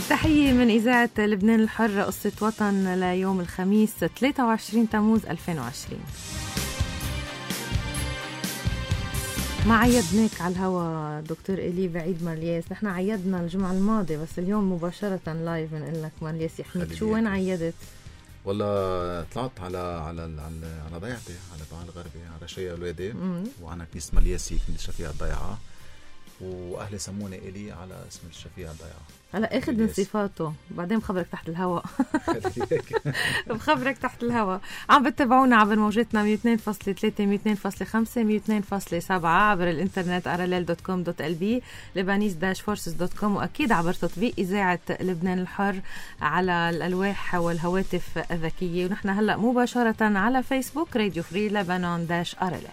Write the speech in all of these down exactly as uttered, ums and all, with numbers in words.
تحية من إذاعة لبنان الحرة، قصة وطن ليوم الخميس ثلاثة وعشرين تموز ألفين وعشرين. ما عيدناك على الهوا دكتور إلي بعيد مالياس، نحن عيدنا الجمعة الماضية بس اليوم مباشرة لايف نقول لك مالياس يحميك. شو وين عيدت؟ والله طلعت على على على على ضيعتي على بعال الغربي على شيء أولادي وأنا كنيسة مالياسي كنيسة الشفيع الضيعة، واهلي سموني إلي على اسم الشفيع الضيعة. هلا اخذ من صفاته بعدين بخبرك تحت الهواء. بخبرك تحت الهواء. عم بتتابعونا عبر موجتنا مية واثنين فاصلة ثلاثة مية واثنين فاصلة خمسة مية واثنين فاصلة سبعة عبر الانترنت ارلل دوت كوم دوت ال بي لبنانيز داش فورسز دوت كوم، واكيد عبر تطبيق اذاعه لبنان الحر على الالواح والهواتف الذكيه. ونحن هلا مباشره على فيسبوك راديو فري لبنان داش ارلل.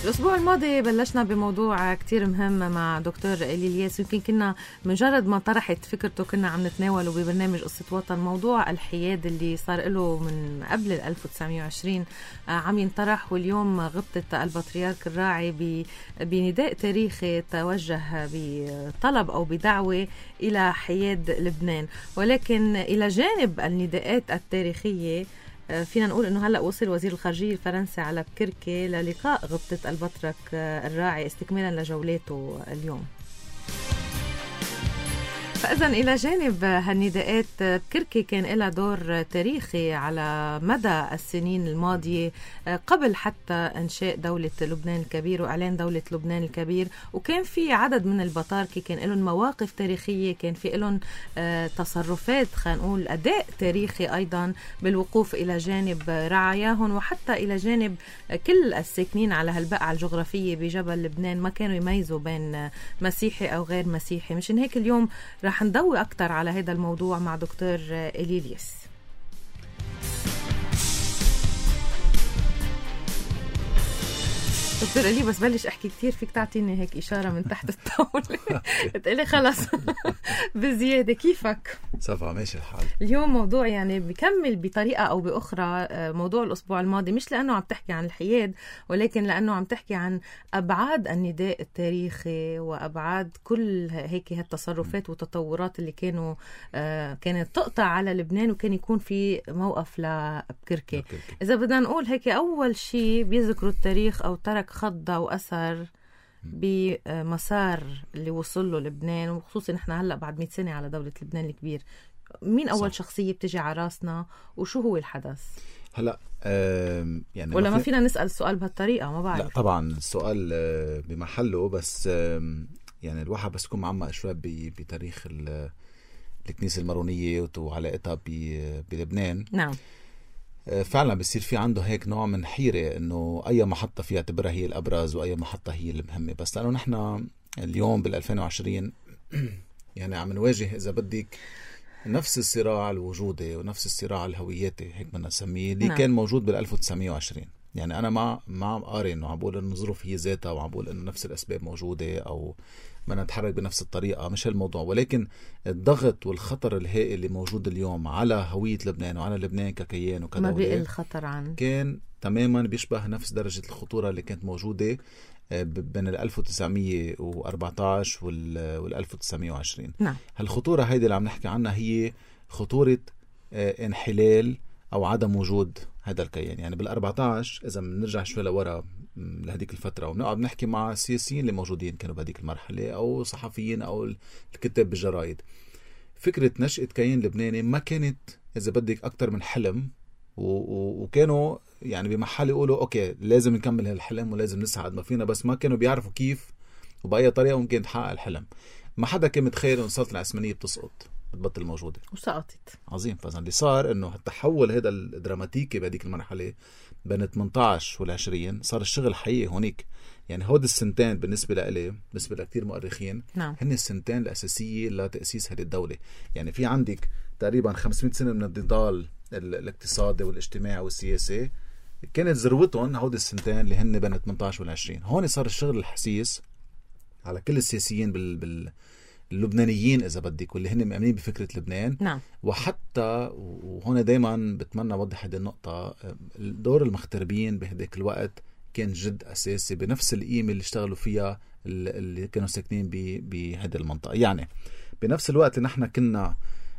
الأسبوع الماضي بلشنا بموضوع كتير مهم مع دكتور إلي الياس، يمكن كنا مجرد ما طرحت فكرته كنا عم نتناوله ببرنامج قصة وطن. موضوع الحياد اللي صار له من قبل ألف وتسعمية وعشرين عم ينطرح، واليوم غبطت البطريرك الراعي بنداء تاريخي توجه بطلب أو بدعوة إلى حياد لبنان. ولكن إلى جانب النداءات التاريخية فينا نقول انه هلا وصل وزير الخارجيه الفرنسي على بكركه للقاء غبطه البطرك الراعي استكمالا لجولاته اليوم. فإذا إلى جانب هالنداءات بكركة كان لها دور تاريخي على مدى السنين الماضية قبل حتى إنشاء دولة لبنان الكبير وإعلان دولة لبنان الكبير، وكان في عدد من البطاركة كان لهم مواقف تاريخية، كان في لهم تصرفات خلينا نقول أداء تاريخي أيضا بالوقوف إلى جانب رعاياهم وحتى إلى جانب كل الساكنين على هالبقعة الجغرافية بجبل لبنان. ما كانوا يميزوا بين مسيحي أو غير مسيحي. مشان هيك اليوم رح نضوي أكتر على هذا الموضوع مع دكتور إلي الياس. دكتور إلي بس بلش أحكي كتير فيك تعطيني هيك إشارة من تحت الطاولة تقولي خلص بزيادة. كيفك؟ صفا ماشي الحال. اليوم موضوع يعني بيكمل بطريقة أو بأخرى موضوع الأسبوع الماضي، مش لأنه عم تحكي عن الحياد ولكن لأنه عم تحكي عن أبعاد النداء التاريخي وأبعاد كل هيك هالتصرفات والتطورات اللي كانوا آه كانت تقطع على لبنان وكان يكون في موقف لبكركة. إذا بدنا نقول هيك أول شيء بيذكروا التاريخ أو ترك خضة وأثر بمسار اللي وصل له لبنان، وخصوصا نحن هلأ بعد مئة سنة على دولة لبنان الكبير. مين أول صح. شخصية بتجي على راسنا وشو هو الحدث؟ هلأ يعني ولا ما فينا نسأل السؤال بهالطريقة؟ ما بعرف. لا طبعا السؤال بمحله، بس يعني الواحد بس يكون معمق شوي بتاريخ الكنيسة المارونية وعلاقتها بلبنان. نعم فعلا بيصير في عنده هيك نوع من حيرة انه اي محطة فيها تبرها هي الابرز واي محطة هي المهمة. بس لانه نحن اليوم بالألفين وعشرين يعني عم نواجه اذا بدك نفس الصراع الوجودي ونفس الصراع الهوياتي هيك بدنا نسميه اللي نعم. كان موجود بالألف وتسعمية وعشرين. يعني انا ما ما عم قارن انه عم بقول انه الظروف هي ذاتها وعم بقول انه نفس الاسباب موجودة او بدنا نتحرك بنفس الطريقة، مش هالموضوع. ولكن الضغط والخطر الهائل اللي موجود اليوم على هوية لبنان وعلى لبنان ككيان وكدولة ما بقى الخطر عن كان تماما بيشبه نفس درجة الخطورة اللي كانت موجودة بين الألف وتسعمية وأربعتاشر والألف وتسعمية وعشرين. نعم. هالخطورة هيدي اللي عم نحكي عنها هي خطورة انحلال أو عدم وجود هذا الكيان. يعني بالأربعتاشر إذا بنرجع شوي لورا لهديك الفترة ونقعد نحكي مع السياسيين اللي موجودين كانوا بهديك المرحلة أو صحفيين أو الكتاب بالجرايد، فكرة نشأة كيان لبناني ما كانت إذا بدك أكتر من حلم، وكانوا يعني بمحل يقولوا أوكي لازم نكمل هالحلم ولازم نسعد ما فينا، بس ما كانوا بيعرفوا كيف وبأي طريقة ممكن تحقق الحلم. ما حدا كان متخيل إنه السلطنة العثمانية بتسقط بتبطل موجودة وسقطت. عظيم. فإذا اللي صار إنه التحول هذا الدراماتيكي بهديك المرحلة بين ثمانية عشر والعشرين صار الشغل حقيقي هونيك. يعني هود السنتين بالنسبة لإلي بالنسبة لكتير مؤرخين نعم. هن السنتين الأساسية لتأسيس هذه الدولة. يعني في عندك تقريبا خمسمائة سنة من النضال الاقتصادي والاجتماعي والسياسي كانت ذروتهم هود السنتين اللي هن بين ثمانية عشر والعشرين. هون صار الشغل الحسيس على كل السياسيين بال, بال... اللبنانيين إذا بدك واللي هن مؤمنين بفكرة لبنان. نعم. وحتى وهنا دايما بتمنى أوضح هذه النقطة، دور المغتربين بهداك الوقت كان جد أساسي بنفس القيمة اللي اشتغلوا فيها اللي كانوا ساكنين بهذه المنطقة. يعني بنفس الوقت اللي نحن كنا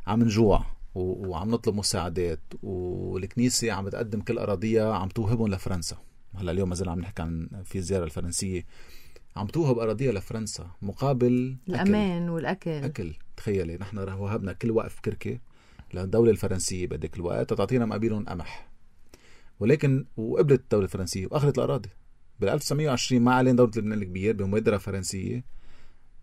عم نجوع وعم نطلب مساعدات والكنيسة عم بتقدم كل أراضيها عم توهبهم لفرنسا. هلا اليوم ما زلنا عم نحكي عن في الزيارة الفرنسية، عم توهب أراضيها لفرنسا مقابل الأمان أكل. والأكل أكل. تخيلي نحن وهبنا كل وقف كركة للدولة الفرنسية بهداك الوقت تعطينا مقابلهم قمح، ولكن وقبلت الدولة الفرنسية وأخذت الأراضي. بال ألف وتسعمية وعشرين مع إعلان دولة لبنان الكبير بمبادرة فرنسية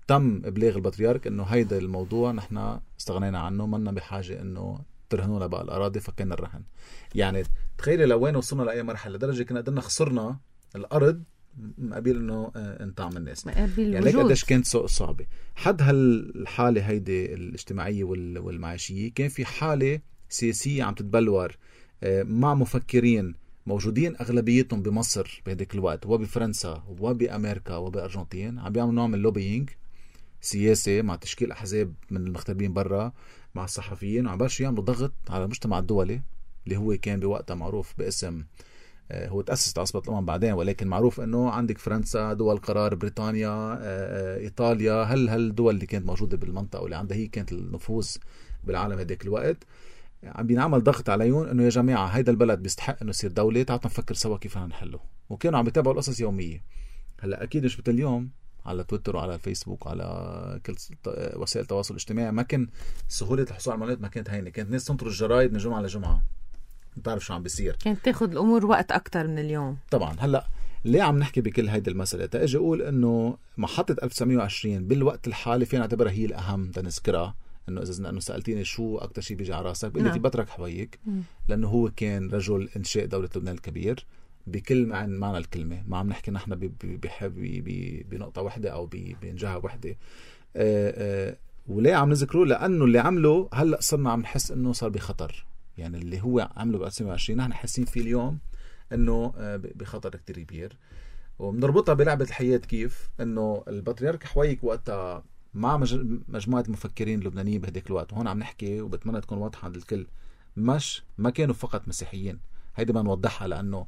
تم إبلاغ البطريرك إنه هيدا الموضوع نحن استغنينا عنه، منا بحاجة إنه ترهنونا بقى الأراضي، فكينا الرهن. يعني تخيلي لوين وصلنا لأي مرحلة، لدرجة كنا قدرنا خسرنا الأرض مقابل إنه انطعم الناس. يعني ليك قديش كانت صعبة. حد هالحالة هيدي الاجتماعية والمعيشية كان في حالة سياسية عم تتبلور مع مفكرين موجودين أغلبيتهم بمصر بهديك الوقت وبفرنسا وبأمريكا وبأرجنتين، عم بيعملوا نوع من اللوبينج سياسي مع تشكيل أحزاب من المغتربين برا مع الصحفيين، وعم بلشوا يعملوا ضغط على المجتمع الدولي اللي هو كان بوقتها معروف باسم، هو تأسست عصبة الأمم بعدين، ولكن معروف أنه عندك فرنسا، دول قرار، بريطانيا، إيطاليا، هل هالدول اللي كانت موجودة بالمنطقة واللي عندها هي كانت النفوذ بالعالم هديك الوقت. عم بينعمل ضغط عليهم انه يا جماعه هيدا البلد بيستحق انه يصير دوله، تعالوا نفكر سوا كيف نحله. وكانوا عم بيتابعوا القصص يوميه. هلا اكيد مش مثل اليوم على تويتر وعلى الفيسبوك وعلى كل وسائل التواصل الاجتماعي، ما كان سهوله الحصول على المعلومات، ما كانت هينه، كانت الناس تنطر الجرايد من جمعه لجمعه، بتعرف شو عم بيصير، كانت تاخذ الامور وقت اكتر من اليوم. طبعا هلا ليه عم نحكي بكل هيدي المساله؟ تاجي اقول انه محطه ألف وتسعمية وعشرين بالوقت الحالي فينا نعتبرها هي الاهم تنذكرها، انه اذا انه سالتيني شو اكثر شيء بيجي على راسك بقول لك نعم. بترك حويك، لانه هو كان رجل انشاء دوله لبنان الكبير بكل معنى معنى الكلمه، ما عم نحكي نحن بنقطه واحده او بنجهه واحده. وليه عم نذكره؟ لانه اللي عمله هلا صرنا عم نحس انه صار بخطر، يعني اللي هو عمله ب ألف وتسعمية وعشرين نحن حاسين فيه اليوم انه بخطر كتير كبير. وبنربطها بلعبه الحياه، كيف انه البطريرك حويك وقتها مع مجموعة مفكرين لبنانيين بهديك الوقت، وهون عم نحكي وبتمنى تكون واضحة عند الكل، مش ما كانوا فقط مسيحيين، هيدي ما نوضحها لأنه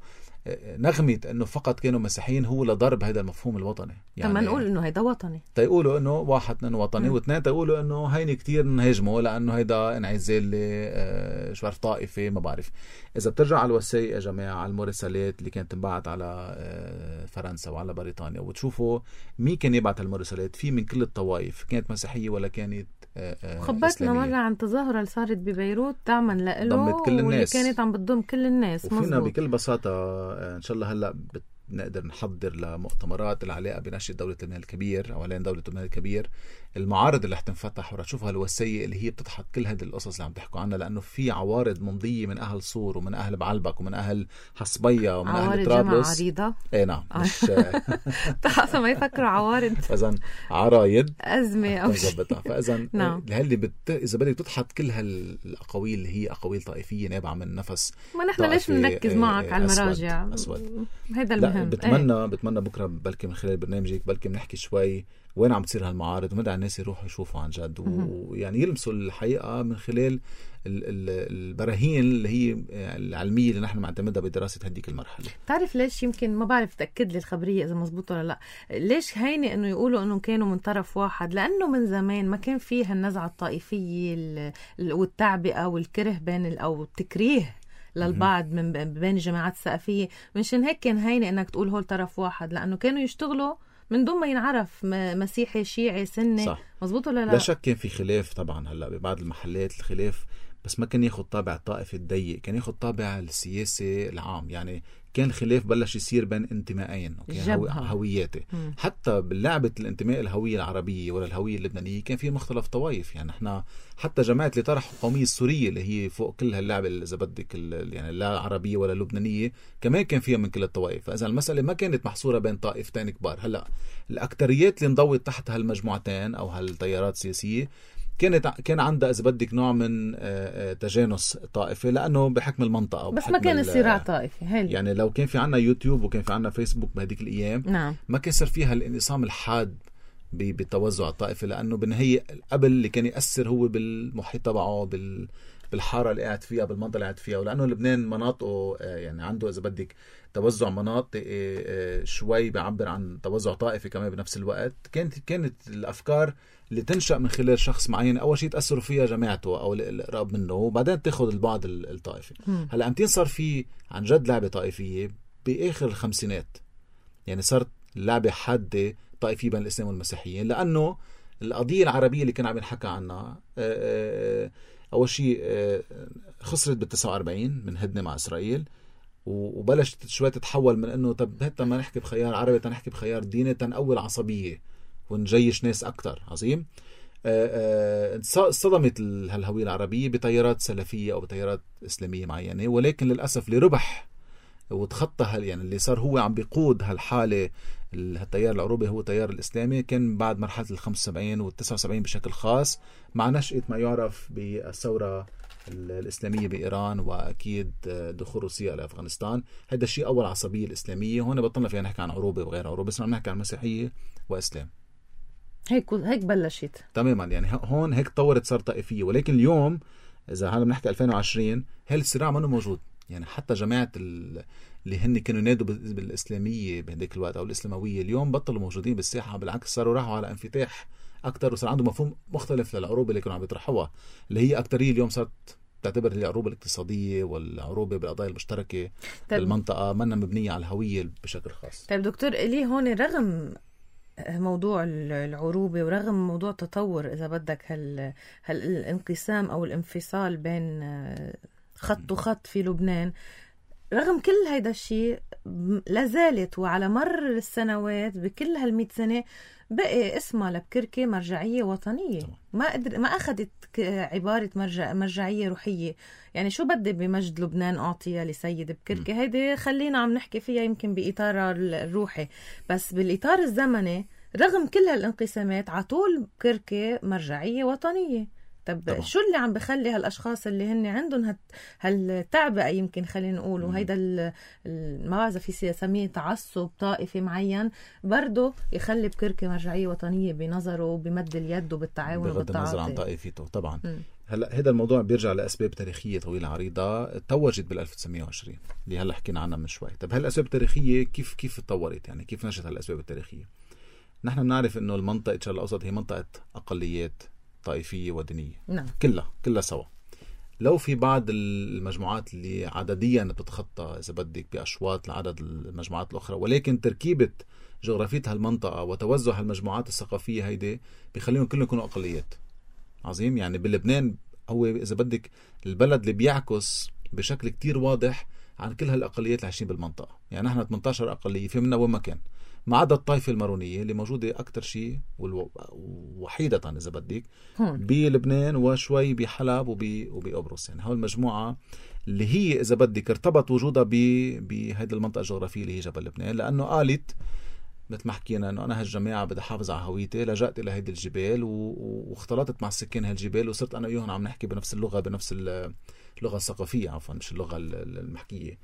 نغمة انه فقط كانوا مسيحيين هو لضرب هذا المفهوم الوطني. يعني طب نقول انه هيدا وطني، تيقولوا انه واحد اثنين وطني، واثنين تيقولوا انه هيني كتير نهاجمه لانه هيدا انعزال آه شو عارف طائفه ما بعرف. اذا بترجع على الوثائق يا جماعه، على المراسلات اللي كانت تنبعت على آه فرنسا وعلى بريطانيا، وتشوفوا مين كان يبعت المراسلات، في من كل الطوائف، كانت مسيحيه ولا كانت آه خبرتنا مرة عن تظاهرة اللي صارت ببيروت دعما له، ضمت كل الناس، كانت عم بتضم كل الناس. وفينا بكل بساطة إن شاء الله هلأ نقدر نحضر لمؤتمرات العلاقة بنشأة دولة لبنان الكبير أو لين دولة لبنان الكبير، المعارض اللي حتنفتح ورح تشوفها الوثائق اللي هي بتضحك كل هذه القصص اللي عم تحكوا عنها، لأنه في عوارض ممضية من أهل صور ومن أهل بعلبك ومن أهل حصبية ومن أهل طرابلس. عوارض عريضة. إيه نعم مش تحسن ما يفكروا عوارض. فإذن عرايد أزمة أو شيء. فإذن نعم. اللي بت... إذا بدك تضحك كل هالأقاويل اللي هي أقاويل طائفية نابعة من نفس، ما نحن ليش بنركز معك على المراجع؟ أسود. هذا المهم. بتمنى ايه؟ بتمنى بكره بلكي من خلال برنامجك بلكي بنحكي شوي وين عم تصير هالمعارض، ومدى الناس يروحوا يشوفوا عن جد، ويعني يلمسوا الحقيقه من خلال البراهين اللي هي العلميه اللي نحن معتمدها بدراسه هديك المرحله. تعرف ليش؟ يمكن ما بعرف تاكد لي الخبريه اذا مزبوطه ولا لا، ليش هيني انه يقولوا انه كانوا من طرف واحد؟ لانه من زمان ما كان فيها النزعه الطائفيه والتعبئه والكره بين او التكريه للبعض من بين الجماعات الثقافيه، منشان هيك كان هيني انك تقول هول طرف واحد، لانه كانوا يشتغلوا من دون ما ينعرف مسيحي شيعي سني. صح. مزبوط ولا لا؟ لا شك كان في خلاف طبعا هلا ببعض المحلات الخلاف، بس ما كان ياخد طابع الطائفي الضيق، كان ياخد طابع السياسي العام. يعني كان الخلاف بلش يصير بين انتمائين، هوياتي. م. حتى باللعبة الانتماء الهوية العربية ولا الهوية اللبنانية كان في مختلف طوائف. يعني احنا حتى جماعة اللي طرحوا القومية السورية اللي هي فوق كل هاللعبة اللي إذا بدك يعني لا عربية ولا لبنانية كمان كان فيها من كل الطوائف. فإذا المسألة ما كانت محصورة بين طائفتين كبار. هلا الأكتريات اللي انضوت تحت هالمجموعتين أو هالتيارات السياسية كانت كان عندها إذا بدك نوع من تجانس طائفي، لأنه بحكم المنطقة بس ما كان صراع طائفي. هل. يعني لو كان في عنا يوتيوب وكان في عنا فيسبوك بهديك الأيام، نعم. ما كان صار فيها الانقسام الحاد بالتوزع الطائفي، لأنه بالنهاية قبل اللي كان يأثر هو بالمحيط تبعه، بال بالحارة اللي قاعد فيها، بالمنطقة اللي قاعد فيها. ولأنه لبنان مناطقه يعني عنده إذا بدك توزع مناطق شوي بيعبر عن توزع طائفي كمان بنفس الوقت، كانت كانت الأفكار اللي تنشأ من خلال شخص معين أول شيء تأثروا فيها جماعته أو القراب منه، وبعدين تاخد البعض الطائفي. هلأ أمتين صار في عن جد لعبة طائفية بآخر الخمسينات، يعني صارت لعبة حادة طائفية بين الإسلام والمسيحيين، لأنه القضية العربية اللي كان عم ينحكى عنها أول شيء خسرت بالتسعة وأربعين من هدنة مع إسرائيل، وبلشت شوي تتحول من أنه طب هتا ما نحكي بخيار عربي تنحكي بخيار ديني تنقوي العصبية ونجيش ناس أكتر. عظيم. صدمت هالهوية العربية بتيارات سلفية أو بتيارات إسلامية معينة، ولكن للأسف اللي ربح وتخطى هال يعني اللي صار هو عم بيقود هالحالة التيار العروبي هو التيار الإسلامي، كان بعد مرحلة الخمسة وسبعين والتسعة وسبعين بشكل خاص مع نشأة ما يعرف بالثورة الإسلامية بإيران، وأكيد دخول روسيا إلى أفغانستان. هذا الشيء أول عصبية الإسلامية. هون بطلنا فيها نحكي عن عروبة وغير عروبة، بس نحكي عن مسيحية وإسلام. هيك هيك بلشت تماما، يعني هون هيك تطورت صار طائفية. ولكن اليوم إذا هلا بنحكي ألفين وعشرين هالصراع منه موجود، يعني حتى جماعة اللي هن كانوا ينادوا بالإسلامية بهديك الوقت أو الإسلاموية اليوم بطلوا موجودين بالساحة، بالعكس صاروا راحوا على انفتاح أكتر، وصار عندهم مفهوم مختلف للعروبة اللي كانوا عم يطرحوها، اللي هي أكترية اليوم صارت تعتبر العروبة الاقتصادية والعروبة بالقضايا المشتركة بالمنطقة منا مبنية على الهوية بشكل خاص. طيب دكتور إلي، هون رغم موضوع العروبة ورغم موضوع تطور إذا بدك هال هالانقسام أو الانفصال بين خط وخط في لبنان، رغم كل هيدا الشيء لازالت وعلى مر السنوات بكل هالمئة سنة بقي اسمها لبكركي مرجعية وطنية. ما قدر ما أخذت عبارة مرجع مرجعية روحية. يعني شو بدي بمجد لبنان أعطيها لسيد بكركي؟ هيدي خلينا عم نحكي فيها يمكن بإطار الروحي، بس بالإطار الزمني رغم كل هالانقسامات عطول بكركي مرجعية وطنية. طب طبعا. شو اللي عم بخلي هالاشخاص اللي هن عندهم هالتعبئه يمكن خلينا نقول وهيدا ما بعرف في سميه تعصب طائفي معين برضه يخلي بكركي مرجعيه وطنيه بنظره بمد اليد وبالتعاون بغض وبالتعاطي النظر عن طائفته طبعا. م. هلا هذا الموضوع بيرجع لاسباب تاريخيه طويله عريضه توجت بال ألف وتسعمية وعشرين اللي هلا حكينا عنها من شوي. طب هالاسباب التاريخيه كيف كيف تطورت؟ يعني كيف نشأت هالاسباب التاريخيه؟ نحن بنعرف انه المنطقه الشرق الاوسط هي منطقه اقليات طائفية ودينية. نعم. كلها كلها سوا. لو في بعض المجموعات اللي عدديا بتتخطى إذا بدك بأشواط لعدد المجموعات الأخرى، ولكن تركيبة جغرافية هالمنطقة وتوزع هالمجموعات الثقافية هيدي بيخليهم كلهم يكونوا أقليات. عظيم. يعني بلبنان هو إذا بدك البلد اللي بيعكس بشكل كتير واضح عن كل هالأقليات اللي عايشين بالمنطقة. يعني نحن ثمانية عشر أقلية في منها وين ما كان، ما عدا الطائفة المارونية اللي موجودة أكتر شيء ووحيدة إذا بدك بلبنان وشوي بحلب وبقبرص. يعني هاي المجموعة اللي هي إذا بدك ارتبط وجودها بهذه المنطقة الجغرافية اللي هي جبل لبنان، لأنه قالت مثل ما حكينا أنه أنا هالجماعة بدي أحافظ على هويتي، لجأت إلى هذه الجبال واختلطت مع سكان هالجبال وصرت أنا وياهم عم نحكي بنفس اللغة بنفس اللغة الثقافية عفوا مش اللغة المحكية.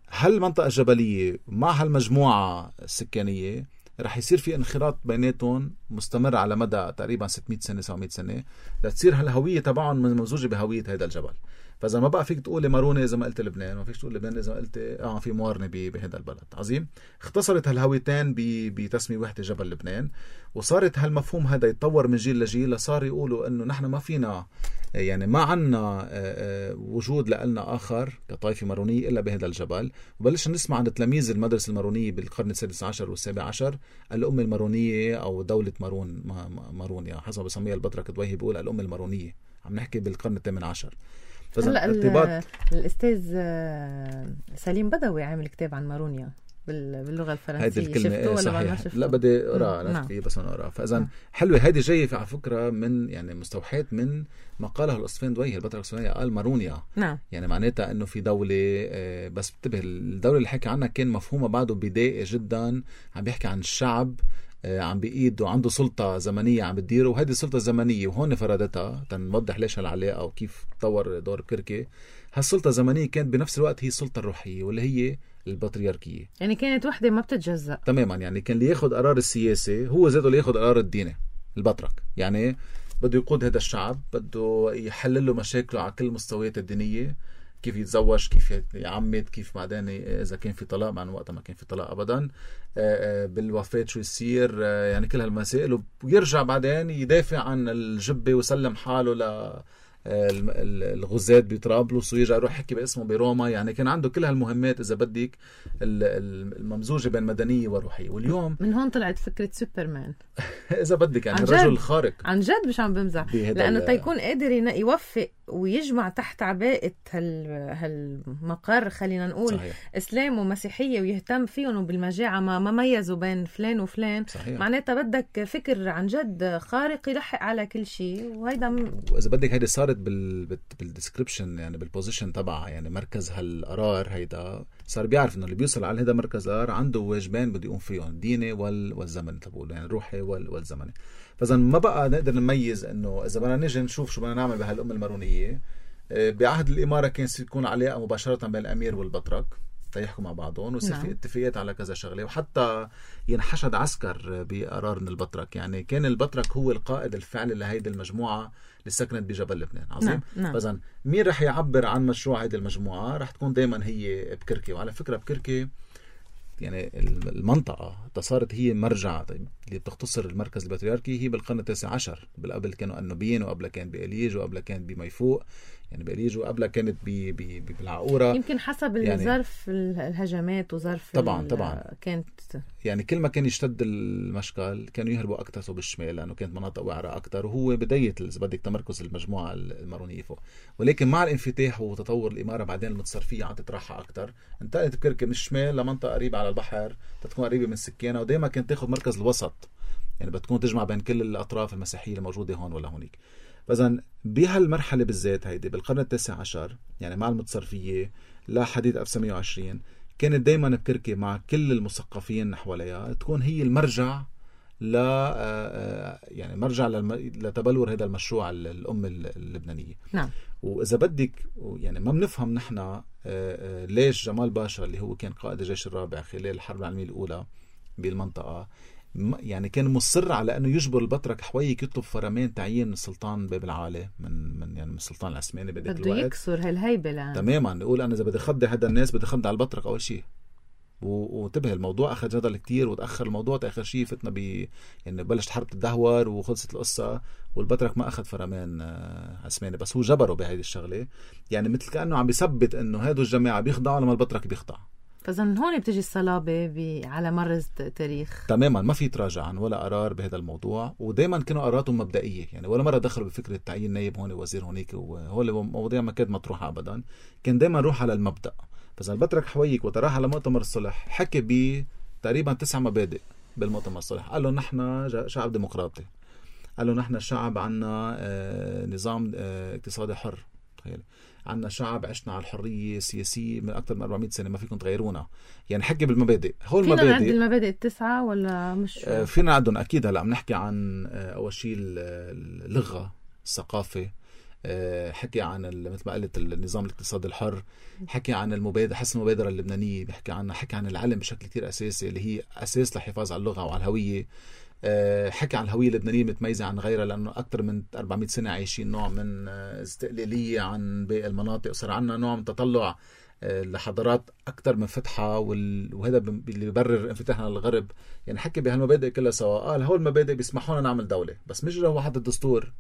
هالمنطقة الجبلية مع هالمجموعة السكانية رح يصير في انخراط بيناتهم مستمر على مدى تقريبا ستمئة سنة سبعمئة سنة لتصير هالهوية تبعهم ممزوجة بهوية هذا الجبل. فإذا ما بقى فيك تقول مارونة إذا ما قلت لبنان، ما فيك تقول لبنان إذا ما قلت آه في موارنة بهذا البلد. عظيم. اختصرت هالهويتين بتسمية وحدة جبل لبنان، وصارت هالمفهوم هذا يتطور من جيل لجيل لصار يقولوا إنه نحن ما فينا يعني ما عنا وجود لنا آخر كطائفة مارونية إلا بهذا الجبل. وبلشنا نسمع عن تلاميذ المدرسة المارونية بالقرن السادس عشر والسابع عشر الأمة المارونية أو دولة مارون مارونيا حسب بسميها البطرك دويهي بيقول الأمة المارونية. عم نحكي بالقرن الثامن عشر. هلا ارتباط الأستاذ سليم بدوي عامل كتاب عن مارونيا باللغة الفرنسية، شفتوه ولا ما شفتوه؟ لا بدي أقرأ نفسي بس أنا أقرأ. فإذا حلوة هذه جاية على فكرة من يعني مستوحات من ما قاله الأصفين دويه البطرك السورية قال مارونيا. نعم. يعني معناتها إنه في دولة بس انتبه الدولة اللي حكي عنها كان مفهومها بعده بدائي جدا، عم بيحكي عن الشعب عم بإيد وعنده سلطة زمنية عم بتديره، وهذه السلطة الزمنية وهون فرادتها تنوضح ليش هالعلاقة وكيف تطور دور كركي. هالسلطة الزمنية كانت بنفس الوقت هي السلطة الروحية واللي هي البطريركية. يعني كانت وحدة ما بتتجزأ تماما. يعني كان اللي ياخد قرار السياسي هو ذاته اللي ياخد قرار الديني، البطرك. يعني بده يقود هذا الشعب، بده يحلل له مشاكله على كل المستويات الدينية، كيف يتزوج، كيف يعمد، كيف بعدين إذا كان في طلاق، مع وقتها ما كان في طلاق أبدا، بالوفاة شو يصير، يعني كل هالمسائل. ويرجع بعدين يدافع عن الجبة ويسلم حاله ل الغزاة بطرابلس ويرجع يروح يحكي باسمه بروما. يعني كان عنده كل هالمهمات إذا بدك الممزوجة بين مدنية وروحية. واليوم من هون طلعت فكرة سوبرمان إذا بدك، يعني الرجل الخارق عن جد، مش عم بمزح، لأنه تيكون قادر يوفق ويجمع تحت عباءة هال... هالمقر، خلينا نقول صحيح. إسلام ومسيحية، ويهتم فيهم وبالمجاعة ما ما ميزوا بين فلان وفلان. معناتها بدك فكر عن جد خارق يلحق على كل شيء. وهيدا م... وإذا بدك هيدا صارت بال بالديسكريبشن، يعني بالبوزيشن تبعها، يعني مركز هالقرار هيدا صار بيعرف إنه اللي بيوصل على هيدا مركز القرار عنده واجبين بده يقوم فيهم، الديني وال... والزمني، تقول يعني الروحي وال... والزمني. فإذا ما بقى نقدر نميز إنه إذا بدنا نيجي نشوف شو بدنا نعمل بهالأمة المارونية. بعهد الإمارة كان يكون علاقة مباشرة بين الأمير والبطرك تيحكوا مع بعضهم ويصير في اتفاقيات على كذا شغلة، وحتى ينحشد عسكر بقرار من البطرك. يعني كان البطرك هو القائد الفعلي لهيدي المجموعة اللي سكنت بجبل لبنان. عظيم. فإذا مين رح يعبر عن مشروع هيدي المجموعة؟ رح تكون دايما هي بكركي. وعلى فكرة بكركي يعني المنطقة صارت هي مرجع اللي بتختصر المركز البطريركي هي بالقرن التاسع عشر. بالقبل كانوا النوبيين، وقبل كان بإليج، وقبل كان بميفوق، يعني بإليج، وقبل كانت بي بي بالعقورة. يمكن حسب يعني الظرف الهجمات وظرف طبعا طبعا كانت يعني كل ما كان يشتد المشكل كانوا يهربوا أكتر بالشمال، لأنه كانت مناطق وعرة أكتر، وهو بداية إذا بدك تمركز المجموعة المارونية فوق. ولكن مع الانفتاح وتطور الإمارة بعدين المتصرفية عم تتراحى أكتر، انتقلت بكركي من الشمال لمنطقة قريبة على البحر تكون قريبة من سكانها، ودائما كانت تاخذ مركز الوسط، يعني بتكون تجمع بين كل الأطراف المسيحية الموجودة هون ولا هونيك. فإذا بهالمرحلة بالذات هيدي بالقرن التاسع عشر، يعني مع المتصرفية لحديث ألف وتسعمية وعشرين، كانت دايما بكركي مع كل المثقفين حواليها تكون هي المرجع ل يعني مرجع لتبلور هذا المشروع الأم اللبنانية. نعم. وإذا بدك يعني ما بنفهم نحن ليش جمال باشا اللي هو كان قائد الجيش الرابع خلال الحرب العالمية الأولى بالمنطقة يعني كان مصر على أنه يجبر البطرك حويك يطلب فرمان تعيين السلطان باب العالي من من يعني من السلطان العثماني بذاك الوقت. بده يكسر هالهيبة الآن. تماما. يقول أنا إذا بدي خدي هذا الناس بدي خدي على البطرك أول شيء. وانتبه الموضوع أخذ جدل كتير وتأخر الموضوع، تأخر شيء فتنا ب يعني بلشت حرب تدهور وخلصت القصة، والبطرك ما أخذ فرمان عثماني، بس هو جبره بهذه الشغلة. يعني مثل كأنه عم بيثبت إنه هادو الجماعة بيخضعوا لما البطرك بيخضع. فإذا هون بتجي الصلابة على مر التاريخ. تماما. ما في تراجع عن ولا قرار بهذا الموضوع، ودائما كانوا قراراتهم مبدئية، يعني ولا مرة دخلوا بفكرة تعيين نائب هون وزير هونيك، وهو مواضيع ما كانت مطروحة أبدا. كان دائما روح على المبدأ. فإذا البطرك حويك وتراح على مؤتمر الصلح حكي ب تقريبا تسع مبادئ بالمؤتمر الصلح. قال له نحن شعب ديمقراطي، قال له نحن الشعب عنا آه نظام آه اقتصادي حر، تخيل عنا شعب عشنا على الحرية السياسية من أكثر من أربعمية سنة ما فيكم تغيرونا. يعني حكي بالمبادئ. هول فينا نعد المبادئ التسعة ولا مش؟ آه فينا نعدهم أكيد. هلأ عم نحكي عن آه أول شيء اللغة، الثقافة، آه حكي عن مثل ما قلت النظام الاقتصادي الحر، حكي عن المبادرة، حسن المبادرة اللبنانية بحكي عنها، حكي عن العلم بشكل كتير أساسي اللي هي أساس للحفاظ على اللغة وعلى الهوية. حكي عن الهوية اللبنانية متميزة عن غيرها لأنه أكثر من أربعمية سنة عايشين نوع من استقلالية عن باقي المناطق، وصار عنا نوع من تطلع لحضارات أكثر من فتحة، وهذا اللي بيبرر انفتاحنا للغرب. يعني حكي بهالمبادئ كلها سوا. قال هول المبادئ بيسمحونا نعمل دولة، بس مش هو حد الدستور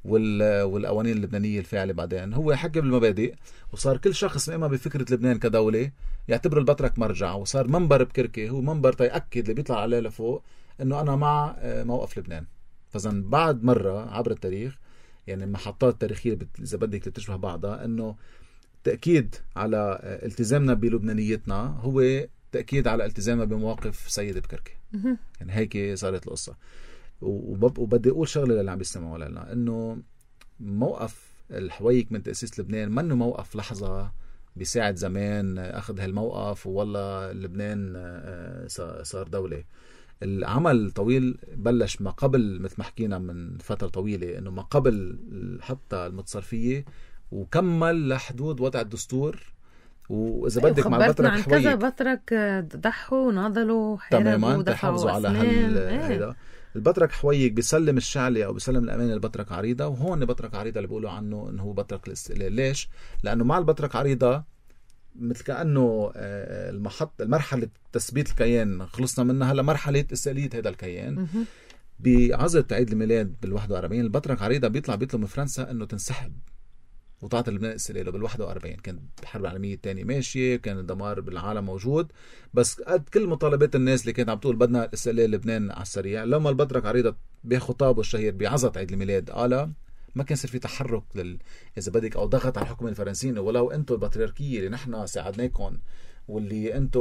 والقوانين اللبنانية الفاعلة. بعدين هو حكي بالمبادئ، وصار كل شخص مؤمن بفكرة لبنان كدولة يعتبر البطرك مرجع، وصار منبر بكركي هو منبر تيأكد اللي بيطلع عليه لفوق انه انا مع موقف لبنان. فاذا بعد مرة عبر التاريخ يعني محطات تاريخية اذا بدك تشبه بعضها، انه تأكيد على التزامنا بلبنانيتنا هو تأكيد على التزامنا بمواقف سيد بكركي. يعني هيك صارت القصة. وبدي اقول شغله للي عم بيسمعوا لنا، انه موقف الحويك من تأسيس لبنان منه موقف لحظه بيساعد زمان اخذ هالموقف والله لبنان صار دوله. العمل طويل بلش ما قبل، مثل ما حكينا من فتره طويله، انه ما قبل حتى المتصرفيه، وكمل لحدود وضع الدستور واذا بدك مع البطرك عن حويك كذا بطرك ضحوا وناضلوا تماما تحافظوا على هال هيدا. البطرك حويك بيسلم الشعلي او بيسلم الامانه البطرك عريضه، وهون بطرك عريضه اللي بيقولوا عنه انه هو بطرك الاستقلال. ليش؟ لانه مع البطرك عريضه مثل كانه المحط المرحله تثبيت الكيان خلصنا منها، هلا مرحله استقلاليه هذا الكيان. بعزة عيد الميلاد بالواحد وأربعين البطرك عريضه بيطلع بيطلب من فرنسا انه تنسحب وتعطي لبنان استقلاله بالواحد وأربعين. كانت الحرب العالمية الثانية ماشية، كان الدمار بالعالم موجود، بس قد كل مطالبات الناس اللي كانت عم تقول بدنا استقلال لبنان على السريع، لما البطرك عريضة بخطابه الشهير بعزة عيد الميلاد قال ما كان صار في تحرك لل... إذا بدك أو ضغط على الحكومة الفرنسيين، ولو أنتم البطريركية اللي نحن ساعدناكم واللي أنتم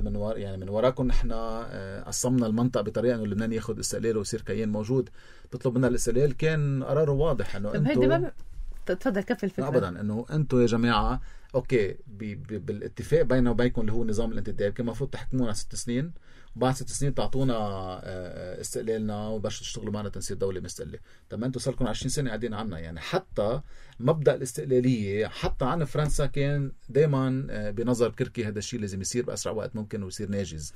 من ور... يعني من وراكم نحن قسمنا المنطقة بطريقة إنه لبنان ياخد استقلاله ويصير كيان موجود تطلب منا الاستقلال، كان قراره واضح إنه أنتم تفضل كفي الفكرة. ابدا انه انتم يا جماعه اوكي بي بي بالاتفاق بيننا وبينكم اللي هو نظام الانتداب كان المفروض تحكمونا ست سنين، وبعد ست سنين تعطونا استقلالنا وبلشوا تشتغلوا معنا تنسيق دوله مستقله. طب ما انتم صار لكم عشرين سنه قاعدين عنا. يعني حتى مبدا الاستقلاليه حتى عن فرنسا كان دائما بنظر كركي هذا الشيء لازم يصير باسرع وقت ممكن ويصير ناجز.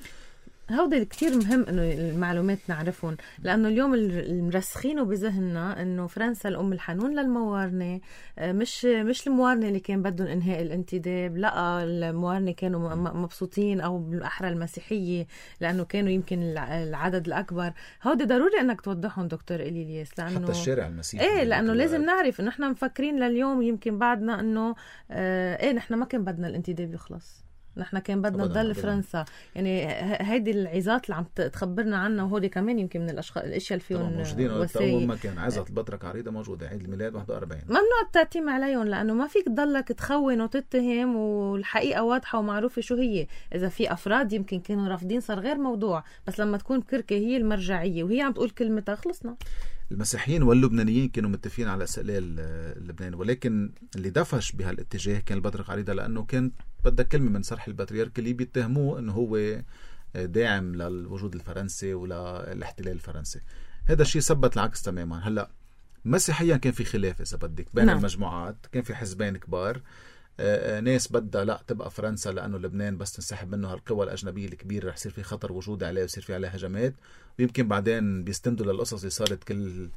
هودي كتير مهم انه المعلومات نعرفهم، لانه اليوم المرسخينه بذهننا انه فرنسا الام الحنون للموارنه، مش مش الموارنه اللي كان بدهم انهاء الانتداب، لا الموارنه كانوا مبسوطين او بالاحرى المسيحيه لانه كانوا يمكن العدد الاكبر. هودي ضروري انك توضحهم دكتور إلياس، لانه حتى الشارع المسيحي ايه لانه لازم نعرف انه احنا مفكرين لليوم يمكن بعدنا انه اه ايه نحن ما كان بدنا الانتداب يخلص، نحن كان بدنا نضل فرنسا. يعني هيدي العظات اللي عم تخبرنا عنها، وهودي كمان يمكن من الاشخاص الاشياء اللي فيهم وسائل. ما كان عظة البطرك عريضة موجودة عيد الميلاد واحد وأربعين، ممنوع التأتيم عليهم، لانه ما فيك تضلك تخون وتتهم والحقيقة واضحة ومعروفة شو هي. اذا في افراد يمكن كانوا رافضين صار غير موضوع، بس لما تكون كركة هي المرجعية وهي عم تقول كلمتها خلصنا. المسيحيين واللبنانيين كانوا متفقين على استقلال لبنان، ولكن اللي دفش بهالاتجاه كان البطرك عريضة، لانه كان بدك كلمة من صرح البطريرك اللي بيتهموه انه هو داعم للوجود الفرنسي ولاحتلال الفرنسي. هذا الشيء ثبت العكس تماما. هلا مسيحيا كان في خلاف اذا بدك بين نعم. المجموعات، كان في حزبين كبار، آآ ناس بدها لا تبقى فرنسا لانه لبنان بس تنسحب منه هالقوى الاجنبيه الكبيره رح يصير في خطر وجودي عليه ويصير في عليه هجمات، ويمكن بعدين بيستندوا للقصص اللي صارت كل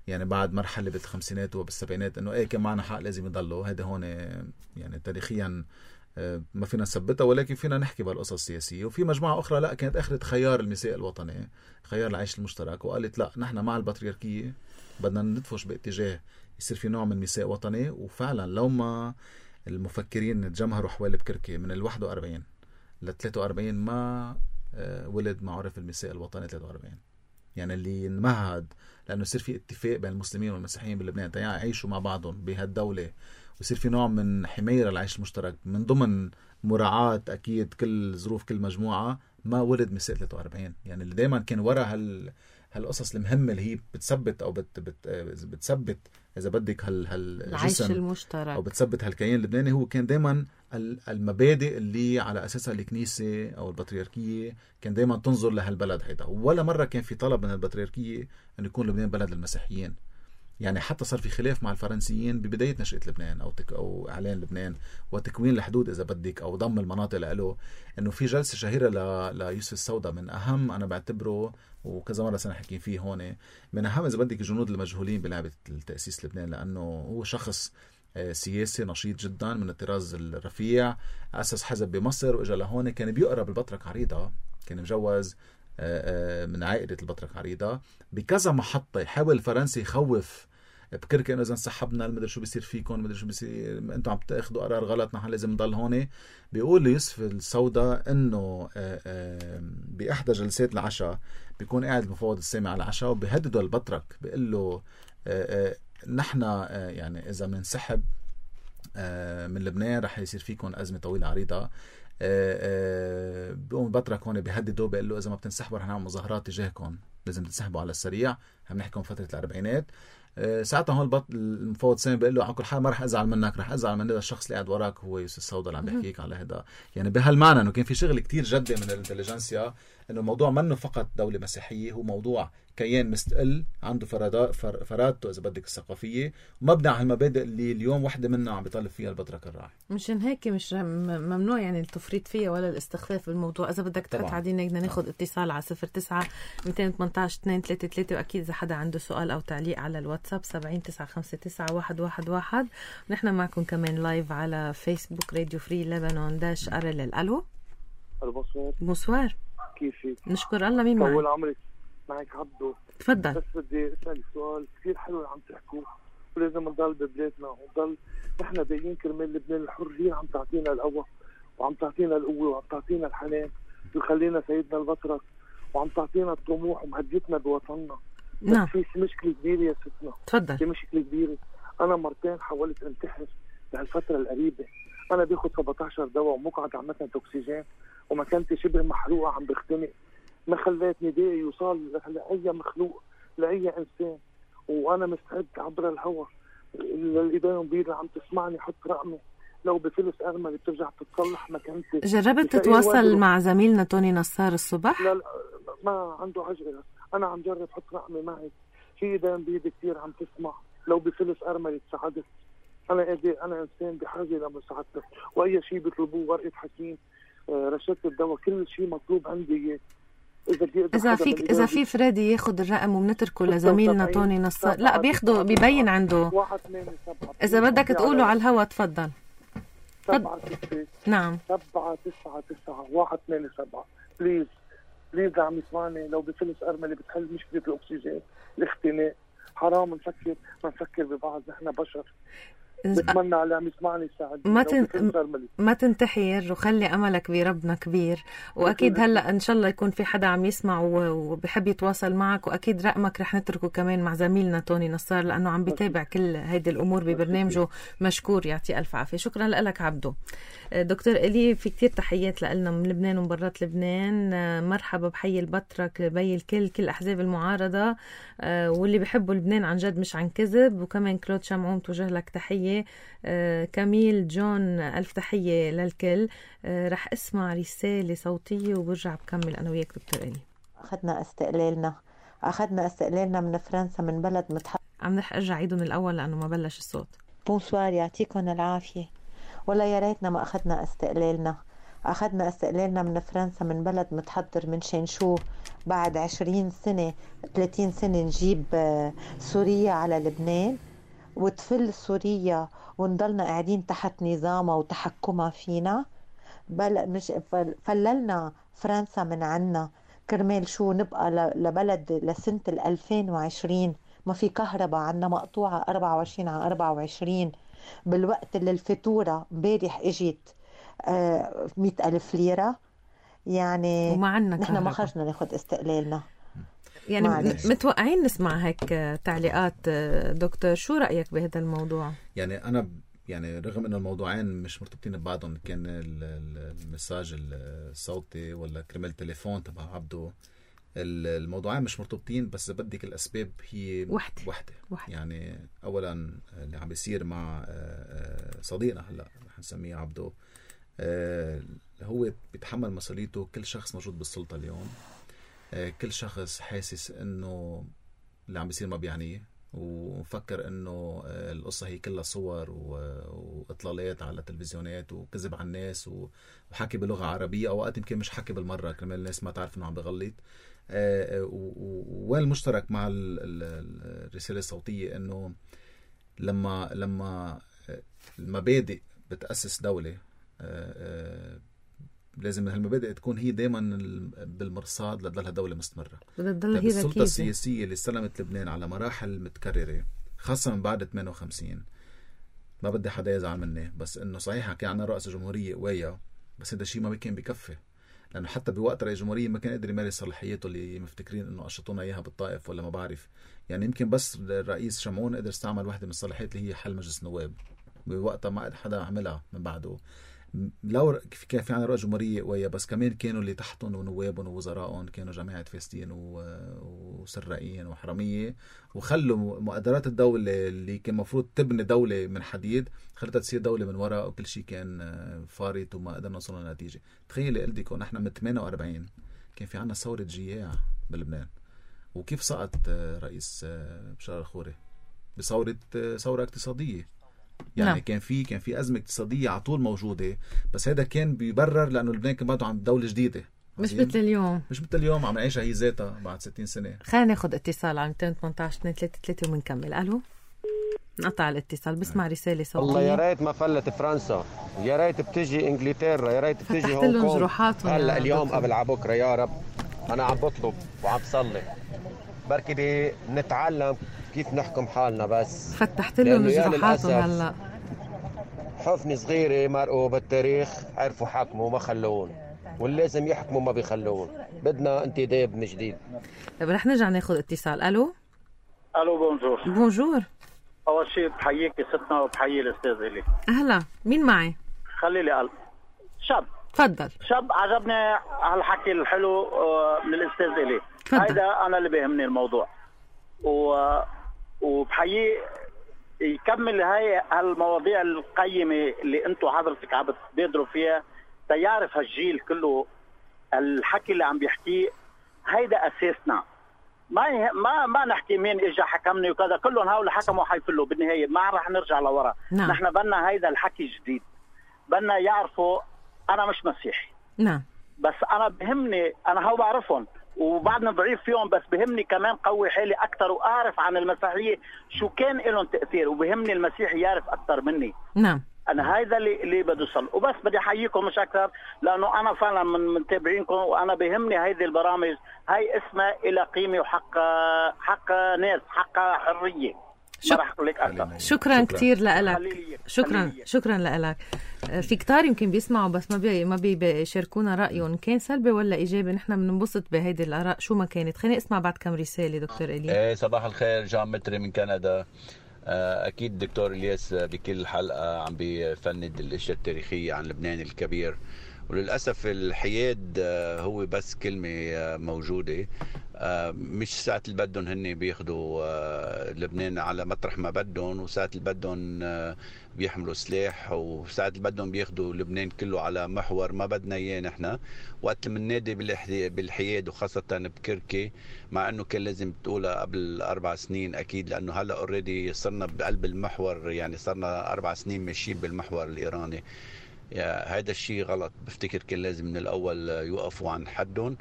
يعني بعد مرحله بالخمسينات وبالسبعينات انه ايه كان معنا حق لازم يضلوا. هذا هون يعني تاريخيا ما فينا نثبتها، ولكن فينا نحكي بهالقصص السياسيه. وفي مجموعه اخرى لا كانت اخذت خيار الميثاق الوطني، خيار العيش المشترك، وقالت لا نحن مع البطريركيه بدنا ندفش باتجاه يصير في نوع من ميثاق وطني. وفعلا لو ما المفكرين تجمهروا حوالي بكركي من الواحد وأربعين لثلاثة وأربعين ما ولد ما عرف الميثاق الوطني ثلاثة وأربعين، يعني اللي انمهد لانه يصير في اتفاق بين المسلمين والمسيحيين بلبنان يعيشوا مع بعضهم بهالدوله ويصير في نوع من حمايه للعيش المشترك من ضمن مراعاه اكيد كل ظروف كل مجموعه، ما ولد ميثاق ثلاثة وأربعين. يعني اللي دائما كان ورا هال هالقصص المهمه اللي هي بتثبت او بت بت بتثبت اذا بدك هال هالعيش المشترك او بتثبت هالكيان اللبناني، هو كان دائما المبادئ اللي على اساسها الكنيسه او البطريركيه كان دائما تنظر لهالبلد هيدا. ولا مره كان في طلب من البطريركيه انه يكون لبنان بلد للمسيحيين. يعني حتى صار في خلاف مع الفرنسيين ببدايه نشأة لبنان او تك او اعلان لبنان وتكوين الحدود اذا بدك او ضم المناطق له، انه في جلسه شهيره ل... ليوسف السوداء من اهم انا بعتبره وكذا مره سنه حكي فيه هون من اهم اذا بدك الجنود المجهولين بلعبه التاسيس لبنان، لانه هو شخص سياسي نشيط جدا من الطراز الرفيع، اسس حزب بمصر واجا لهون، كان بيقرب البطرك عريضه، كان مجوز من عائله البطرك عريضه بكذا محطه. يحاول الفرنسي يخوف بكركي انه اذا انسحبنا المدري شو بيصير فيكم، المدري شو بيصير، انتم عم تاخذوا قرار غلط، نحن لازم نضل هون. بيقول ليوسف السوداء انه باحدى جلسات العشاء بيكون قاعد المفوض السامي على العشاء وبيهدده البطرك بيقول له نحن يعني اذا بننسحب من لبنان رح يصير فيكم ازمه طويله عريضه. بيقوم البطرك هون بيهدده بيقول له اذا ما بتنسحبوا رح نعمل مظاهرات تجاهكم، لازم تنسحبوا على السريع. عم نحكي فتره الاربعينات. ساعتها هون البط المفوض سامي بيقول له على كل حال ما رح ازعل منك، رح ازعل من هذا الشخص اللي قاعد وراك هو يوسف السوداء اللي عم بيحكيك على هذا. يعني بهالمعنى انه كان في شغل كتير جدي من الانتليجنسيا، انه الموضوع منه فقط دوله مسيحيه، هو موضوع كيان مستقل عنده فرادات فر... فرادته اذا بدك الثقافيه ومبني على المبادئ اللي اليوم وحده منها عم بيطالب فيها البطرك الراعي. مشان هيك مش ممنوع يعني التفريط فيها ولا الاستخفاف بالموضوع. اذا بدك تقطع عدينا بدنا ناخذ اتصال على صفر تسعة مئتين وثمانية عشر اثنين ثلاثة ثلاثة، واكيد اذا حدا عنده سؤال او تعليق على الواتساب سبعين تسعة خمسة تسعة واحد واحد واحد. ونحن معكم كمان لايف على فيسبوك راديو فري لبنان داش ارل. الو بونسوار. بونسوار، كيفك؟ نشكر الله. مين معك؟ طول عمرك. معك عبدو. تفضل. بس بدي اسالك سؤال كثير حلو اللي عم تحكوه، ولازم نضل ببلادنا ونضل نحن باقيين كرمال لبنان الحر. هي عم تعطينا القوة وعم تعطينا القوة وعم تعطينا الحنان ويخلينا سيدنا البطرك، وعم تعطينا الطموح ومهديتنا بوطننا. نعم. بس في مشكلة كبيرة يا ستنا. تفضل. في مشكلة كبيرة. أنا مرتين حاولت انتحر بهالفترة القريبة. أنا باخد سبعة عشر دواء ومقعد عمتنا أكسجين ومكانتي شبه محروقة عم بختنق. ما خليتني داعي يوصل لأي مخلوق لأي إنسان، وأنا مستعد عبر الهواء للإدانة بيضة عم تسمعني حط رقمي لو بفلس أرملي بترجع تتصلح مكانتي. جربت تتواصل مع زميلنا توني نصار الصبح؟ لا لا ما عنده عجلة. أنا عم جرب حط رقمي معي في إدانة بيضة كتير عم تسمع لو بفلس أرملي تساعدت. أنا قادر، أنا إنسان بحاجة لمساعدتك وأي شيء بيطلبوه ورقة حكيم رشدة الدواء كل شيء مطلوب عندي. إذا إذا فيك إذا في فريدي ياخد الرقم وبنتركه لزميلنا توني نصار. لا بياخده بيبين عنده. واحد ثمانية سبعة. إذا بدك تقوله على الهوا تفضل. سبعة ستة. نعم. سبعة تسعة تسعة واحد ثمانية سبعة. بليز بليز عم يسمعني لو بفلس أرملي بتحل مشكلة الأكسجين الاختناق. حرام نفكر ما نفكر ببعض، نحن بشر. بتمنى على عم يسمعني يساعد. ما تن... ما تنتحر وخلي املك بربنا كبير. واكيد هلا ان شاء الله يكون في حدا عم يسمع وبحب يتواصل معك، واكيد رقمك رح نتركه كمان مع زميلنا توني نصار لانه عم بيتابع كل هيدي الامور ببرنامجه. مشكور، يعطي الف عافيه. شكرا لك عبدو. دكتور إلي في كتير تحيات لنا من لبنان ومبرات لبنان. مرحبا بحي البطرك بي الكل كل احزاب المعارضه واللي بيحبوا لبنان عن جد مش عن كذب. وكمان كلود شمعون توجه لك تحيه. آه، كميل جون ألف تحية للكل. آه، رح اسمع رسالة صوتية وبرجع بكمل أنا وياك دكتور إلي. أخذنا استقلالنا أخذنا استقلالنا من فرنسا من بلد متحضر. عم رح أرجع عيده من الأول لأنه ما بلش الصوت. بونسوار، يعطيكم العافية. ولا يا ريتنا ما أخذنا استقلالنا. أخذنا استقلالنا من فرنسا من بلد متحضر من شنشو. بعد عشرين سنة ثلاثين سنة نجيب سوريا على لبنان وتفل سوريا ونضلنا قاعدين تحت نظامها وتحكمها فينا. بل مش فللنا فرنسا من عنا كرمال شو نبقى لبلد لسنة الألفين وعشرين ما في كهرباء عنا مقطوعة أربعة وعشرين على أربعة وعشرين بالوقت اللي الفاتورة امبارح اجت آه مئة ألف ليرة. يعني وما عنا نحن ما خرجنا ناخد استقلالنا. يعني معلش. متوقعين نسمع هيك تعليقات. دكتور شو رأيك بهذا الموضوع؟ يعني أنا يعني رغم إنه الموضوعين مش مرتبطين ببعضهم، كان المساج الصوتي ولا كرمال تليفون تبع عبده، الموضوعين مش مرتبطين، بس بدك الأسباب هي وحدة. وحدة. وحدة. يعني أولا اللي عم بيصير مع صديقنا هلأ رح نسميه عبده، هو بيتحمل مسؤوليته. كل شخص موجود بالسلطة اليوم، كل شخص حاسس انه اللي عم بيصير ما بيعنيه، ومفكر انه القصة هي كلها صور واطلالات على التلفزيونات وكذب على الناس وحكي بلغة عربية، اوقات يمكن مش حكي بالمرة كرمال الناس ما تعرف انه عم بغلط. والمشترك مع الرسالة الصوتية انه لما لما المبادئ بتأسس دولة لازم هالمبادئ تكون هي دائما بالمرصاد لتضلها دولة مستمرة. السلطة السياسية اللي استلمت لبنان على مراحل متكررة خاصة من بعد ثمانية وخمسين، ما بدي حدا يزعل مني، بس انه صحيح كان عنا رئيس جمهورية قوية، بس هذا الشيء ما كان بكفي، لانه حتى بوقت رئيس جمهورية ما كان قادر يمارس صلاحياته اللي مفتكرين انه قشطونا اياها بالطائف ولا ما بعرف. يعني يمكن بس الرئيس شمعون قدر استعمل واحدة من الصلاحيات اللي هي حل مجلس النواب، بوقتها ما قد حدا عملها من بعده. لو كان في عنا رئيس جمهورية قوية، بس كمان كانوا اللي تحتهم ونوابهم ووزرائهم كانوا جماعة فاسدين وسرائيين وحرامية، وخلوا مقدرات الدولة اللي كان مفروض تبني دولة من حديد خلتها تصير دولة من وراء، وكل شيء كان فارط وما قدرنا نوصل لنتيجة. تخيلي قلتك ونحن من ثمانية وأربعين كان في عنا ثورة جياع بلبنان، وكيف سقط رئيس بشار الخوري بثورة ثورة اقتصادية. يعني نعم. كان في كان في أزمة اقتصادية على طول موجودة، بس هذا كان بيبرر لأنه لبنان كان بعده عن دولة جديدة، مش مثل اليوم مش مثل اليوم عم نعيشها هي ذاتها بعد ستين سنة. خلينا ناخد اتصال على مئتين وثمانية عشر اثنين ثلاثة ثلاثة ومنكمل. ألو، نقطع الاتصال. بسمع رسالة صوتية. والله يا ريت ما فلت فرنسا، يا ريت بتجي انجلترا، يا ريت بتجي هونغ كونغ هلا اليوم قبل على بكره. يا رب انا عم بطلب وعم بصلي بركي دي نتعلم كيف نحكم حالنا. بس فتحت لهم جروحاتهم. هلا حفني صغيره مرقوا بالتاريخ عرفوا حكموا وما خلون، واللي لازم يحكموا ما بيخلون. بدنا انتداب من جديد. طيب رح نرجع ناخذ اتصال. الو الو بونجور. بونجور. اول شيء بحييك ستنا وبحيي الاستاذ الي. اهلا، مين معي؟ خلي لي قلب. شاب. تفضل. شاب عجبني هالحكي الحلو من الاستاذ الي. هيدا انا اللي بيهمني الموضوع، و وبحييه يكمل هاي هالمواضيع القيمه اللي انتم حضرتك عم بتبادروا فيها، تيعرف هالجيل كله الحكي اللي عم بيحكيه. هيدا اساسنا. ما ما ما نحكي مين اجى حكمني وكذا، كلهم هؤلاء حكموا حيفلوا بالنهايه، ما رح نرجع لورا. نعم. نحن بدنا هيدا الحكي جديد، بدنا يعرفوا انا مش مسيحي. نعم. بس انا بهمني، انا هو بعرفهم وبعدنا ضعيف فيهم، بس بهمني كمان قوي حالي اكثر واعرف عن المسيحيه شو كان لهم تاثير، وبهمني المسيحي يعرف اكثر مني. نعم. انا هيدا اللي اللي بدي اوصل. وبس بدي احييكم مش اكثر، لانه انا فعلا من متابعينكم، وانا بهمني هيدي البرامج. هاي اسمها الى قيمه وحق حق ناس، حق حريه. شك... ما رح اقول لك اكثر. شكرا, شكرا كثير لك. شكرا خليلي. شكرا لك. في كتار يمكن بيسمعوا بس ما بي ما بيشاركونا رايهم، كان سلبي ولا ايجابي. نحن بننبسط بهيدي الاراء شو ما كانت. خليني اسمع بعد كم رساله. دكتور الي. ايه صباح الخير. جان متري من كندا. اكيد دكتور الياس بكل حلقه عم بيفند الاشياء التاريخيه عن لبنان الكبير، وللأسف الحياد هو بس كلمة موجودة، مش ساعة اللي بدهم هن بياخدوا لبنان على مطرح ما بدهم، وساعة اللي بدهم بيحملوا سلاح، وساعة اللي بدهم بياخدوا لبنان كله على محور ما بدنا اياه نحن. وقت من نادي بالحياد وخاصة بكركي، مع انه كان لازم تقولها قبل اربع سنين اكيد، لانه هلا اوريدي صرنا بقلب المحور، يعني صرنا اربع سنين ماشيين بالمحور الايراني. هذا الشيء غلط. بفتكر كان لازم من الأول يوقفوا عن حدهم،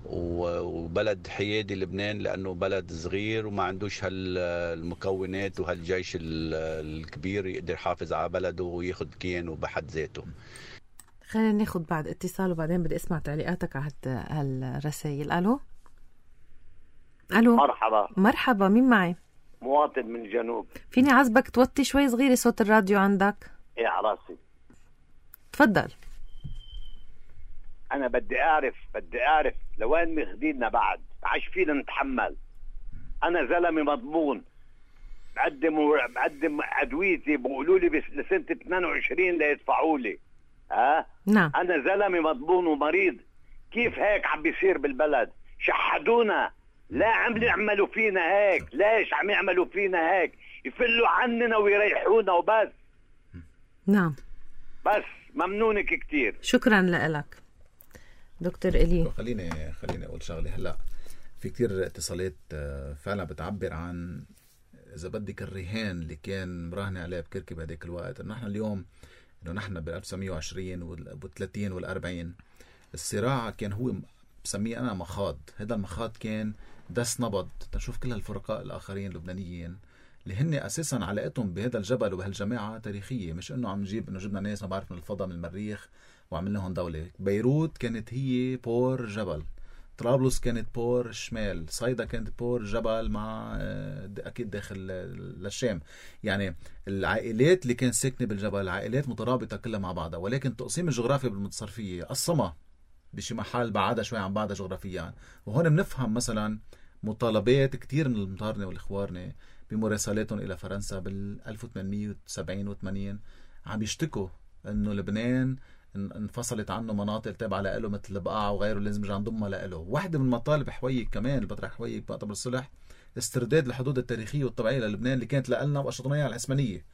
وبلد حيادي لبنان لأنه بلد صغير وما عندوش هالمكونات وهالجيش الكبير يقدر يحافظ على بلده وياخد كيانه بحد ذاته. خلينا ناخد بعد اتصال وبعدين بدي اسمع تعليقاتك على هالرسائل. ألو ألو. مرحبا. مرحبا، مين معي؟ مواطن من الجنوب. فيني عزبك توطي شوي صغيرة صوت الراديو عندك؟ ايه على راسي. تفضل. انا بدي اعرف بدي اعرف لوين ماخذيننا بعد، عاش فينا نتحمل. انا زلمه مضمون، بقدم بقدم ادويتي، بيقولوا لي لسنه اثنين وعشرين ليدفعوا لي. ها نعم. انا زلمه مضمون ومريض. كيف هيك عم بيصير بالبلد؟ شحدونا، لا عم يعملوا فينا هيك. ليش عم يعملوا فينا هيك؟ يفلوا عننا ويريحونا وبس. نعم بس ممنونك كتير. شكرا لك دكتور إلي. خليني خليني اقول شغله. هلا في كتير اتصالات فعلا بتعبر عن اذا بدك الرهان اللي كان مراهن عليه بكركي بهداك الوقت، انه نحن اليوم انه نحن بال ألف وتسعمية وعشرين والثلاثين والأربعين الصراع كان هو بسميه انا مخاض. هذا المخاض كان دس نبض تشوف كل هالفرقاء الاخرين اللبنانيين اللي هن اساسا علاقتهم بهذا الجبل وبهالجماعه تاريخيه، مش انه عم نجيب انه جبنا ناس ما بعرف من الفضاء من المريخ وعملنا لهم دوله. بيروت كانت هي بور جبل، طرابلس كانت بور شمال، صيدا كانت بور جبل مع اكيد داخل للشام. يعني العائلات اللي كانت ساكنه بالجبل العائلات مترابطه كلها مع بعضها، ولكن التقسيم الجغرافي بالمتصرفيه قسمها بشي محل بعدها شوي عن بعضها جغرافيا. وهون بنفهم مثلا مطالبات كتير من المطارنه والاخوارنه بمراسلاتهم الى فرنسا بال ألف وثمانمية وسبعين وثمانين عم يشتكوا انه لبنان انفصلت عنه مناطق تابعه له مثل البقاع وغيره، لازم يرجع نضمها له. واحده من مطالب حويك كمان اللي بطرح حويك بمؤتمر الصلح استرداد الحدود التاريخيه والطبيعيه للبنان اللي كانت لنا واشطناها على العثمانيه.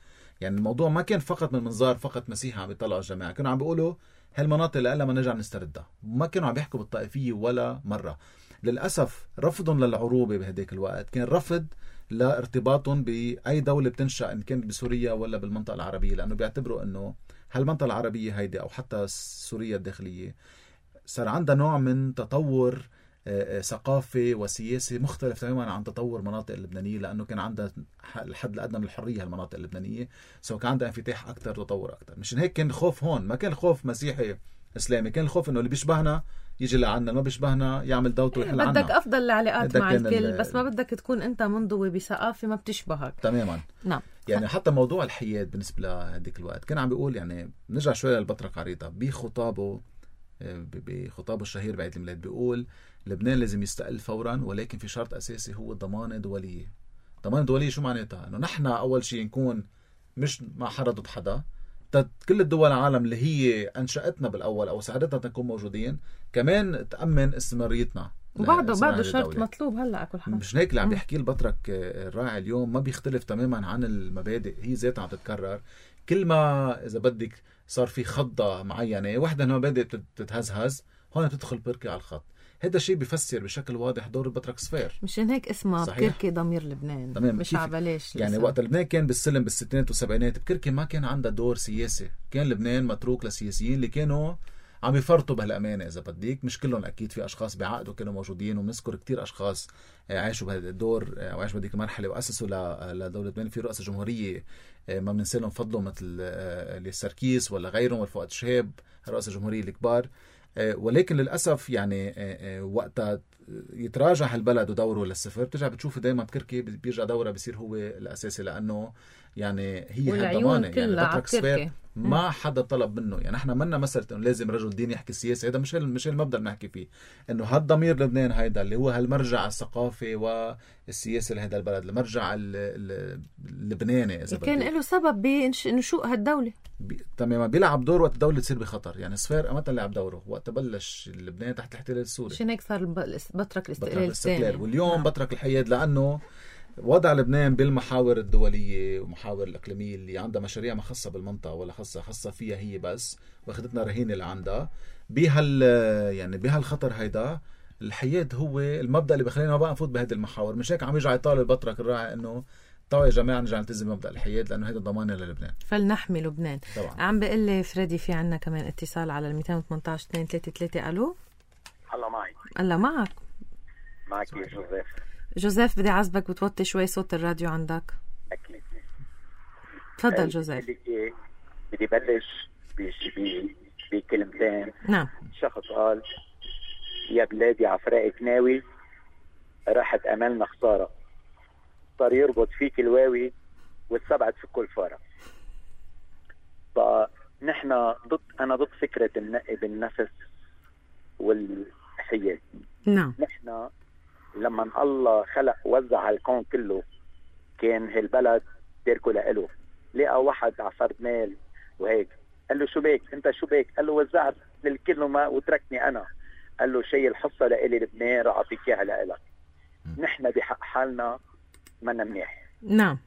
يعني الموضوع ما كان فقط من منظار فقط مسيحي عم يطلعوا الجماعه، كانوا عم بيقولوا هالمناطق اللي لنا ما نرجع نستردها، وما كانوا عم يحكوا بالطائفيه ولا مره. للأسف رفضهم للعروبة بهديك الوقت كان رفض لارتباطهم بأي دولة بتنشأ إن كانت بسوريا ولا بالمنطقة العربية، لأنه بيعتبروا أنه هالمنطقة العربية هيدي أو حتى سوريا الداخلية صار عندها نوع من تطور ثقافي وسياسي مختلف تماما عن تطور مناطق اللبنانية، لأنه كان عندها الحد الأدنى من الحرية المناطق اللبنانية، سو كان عندها انفتاح أكتر تطور أكتر. مشان هيك كان الخوف هون، ما كان الخوف مسيحي إسلامي، كان الخوف إنه اللي بيشبهنا يجي لعنا، ما بيشبهنا يعمل دوته ويحل عنا. بدك أفضل العلاقات مع الكل، بس ما بدك تكون أنت منضوي بثقافة ما بتشبهك تماما. نعم. يعني حتى موضوع الحياد بالنسبة لهديك الوقت كان عم بيقول، يعني نرجع شوية للبطرك عريضة بخطابه بخطابه الشهير بعيد الميلاد، بيقول لبنان لازم يستقل فورا، ولكن في شرط أساسي هو ضمان دولية. ضمان دولية شو معناتها؟ إنه نحن أول شيء نكون مش مع حدا ضد حدا، كل الدول العالم اللي هي أنشأتنا بالأول أو ساعدتنا نكون موجودين كمان تأمن استمراريتنا. وبعده بعده شرط مطلوب هلا كل حاجة. مش هيك اللي عم بيحكي البطرك الراعي اليوم ما بيختلف تماما عن المبادئ، هي ذاتها عم تتكرر. كل ما إذا بدك صار في خضة معينة واحدة من المبادئ تتهزهز، هون بتدخل بركي على الخط. هذا الشيء بيفسر بشكل واضح دور البطرك صفير. مشان هيك اسمها بكركي ضمير لبنان. تمام. مش عبلاش يعني وقت لبنان كان بالسلم بالستينات والسبعينات بكركي ما كان عندها دور سياسي، كان لبنان متروك للسياسيين اللي كانوا عم يفرطوا بهالأمانة إذا بديك. مش كلهم أكيد، في أشخاص بعقدوا كانوا موجودين، وبنذكر كتير أشخاص عاشوا بهذا الدور وعاشوا بهذيك المرحلة وأسسوا لدولة لبنان. في رؤساء جمهورية ما بننسى لهم فضلهم مثل السركيس ولا غيرهم والفؤاد شهاب، رؤساء جمهورية الكبار. ولكن للأسف يعني وقتها يتراجع البلد ودوره للصفر، بترجع بتشوف دايما بكركي بيرجع دوره بيصير هو الأساسي، لأنه يعني هي هالضمانة. يعني بطرك صفير ما حدا طلب منه، يعني احنا منا مسألة انه لازم رجل دين يحكي سياسة، هذا مش مش المبدأ اللي نحكي فيه. انه هالضمير لبنان هيدا اللي هو هالمرجع الثقافي والسياسي لهذا البلد، المرجع اللبناني اذا كان له سبب بنشوء هالدولة. بي... تماما بيلعب دور وقت الدولة تصير بخطر. يعني صفير امتى لعب دوره وقت بلش لبنان تحت الاحتلال السوري، عشان هيك صار بطرك الاستقلال الثاني. واليوم نعم. بطرك الحياد، لانه وضع لبنان بالمحاور الدولية ومحاور الإقليمية اللي عندها مشاريع ما خاصة بالمنطقة ولا خاصة خاصة فيها هي بس، واخدتنا رهينة اللي عندها بهال يعني بهالخطر هيدا. الحياد هو المبدأ اللي بخلينا ما بقى نفوت بهذه المحاور. مش هيك عم يرجع يطالب البطرك الراعي انه طبعا يا جماعة نرجع نلتزم بمبدأ الحياد، لأنه هيدا ضمانة للبنان، فلنحمي لبنان طبعا. عم بقول لي فريدي في عنا كمان اتصال على المئتين وثمانية عشر اثنين ثلاثة ثلاثة. ألو. الله معي. الله معك. معك يا جوزيف. جوزيف بدي عزبك بتوطي شوي صوت الراديو عندك. أكيد. تفضل جوزيف. بدي بلش بكلمتين. نعم. شخص قال يا بلادي عفراء ناوي راحت أملنا خسارة، صار يربط فيك الواوي والسبعة في كل فارة. فنحن ضد، أنا ضد فكرة النقي بالنفس والحياد. نعم. نحن لما الله خلق وزع الكون كله كان هالبلد تركه لإله. لقى واحد عفرد مال وهيك، قال له شو بيك انت شو بيك؟ قال له وزعت للكل وما وتركني انا. قال له شيء الحصة لإلي لبنان رح اعطيك اياها لإلك. نحن بحق حالنا منا منيح. نعم.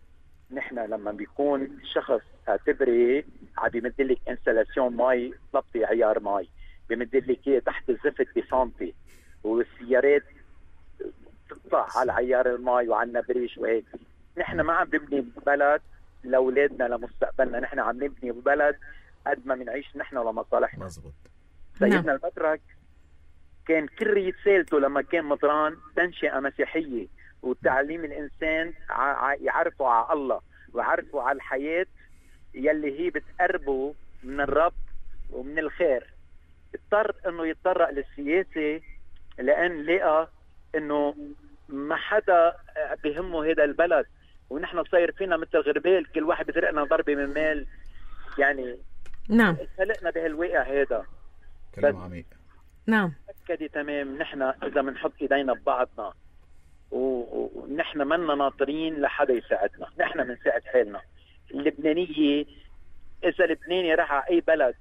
نحن لما بيكون شخص اعتبري عم بيمدلك انستلاسيون مي ضبطي عيار مي، بيمدلك اياه تحت الزفت بسنتي، والسيارات تطلع على عيار المي وعنا بريش وهيك. نحن ما عم نبني بلد لاولادنا لمستقبلنا، نحن عم نبني بلد قد ما بنعيش نحن لمصالحنا. مزبوط. سيدنا نعم. البطرك كان كل رسالته لما كان مطران تنشئة مسيحية وتعليم الإنسان يعرفوا على الله ويعرفوا على الحياة يلي هي بتقربه من الرب ومن الخير. اضطر انه يتطرق للسياسة لأن لقى انه ما حدا بهمه هذا البلد، ونحن صاير فينا مثل غربال كل واحد بيسرقنا ضربة من مال. يعني نعم خلقنا بهالواقع هذا. كلام عميق. نعم. أكدي تمام. نحن إذا بنحط إيدينا ببعضنا ونحن منا ناطرين لحدا يساعدنا، نحن بنساعد حالنا. اللبنانية إذا لبناني راح على أي بلد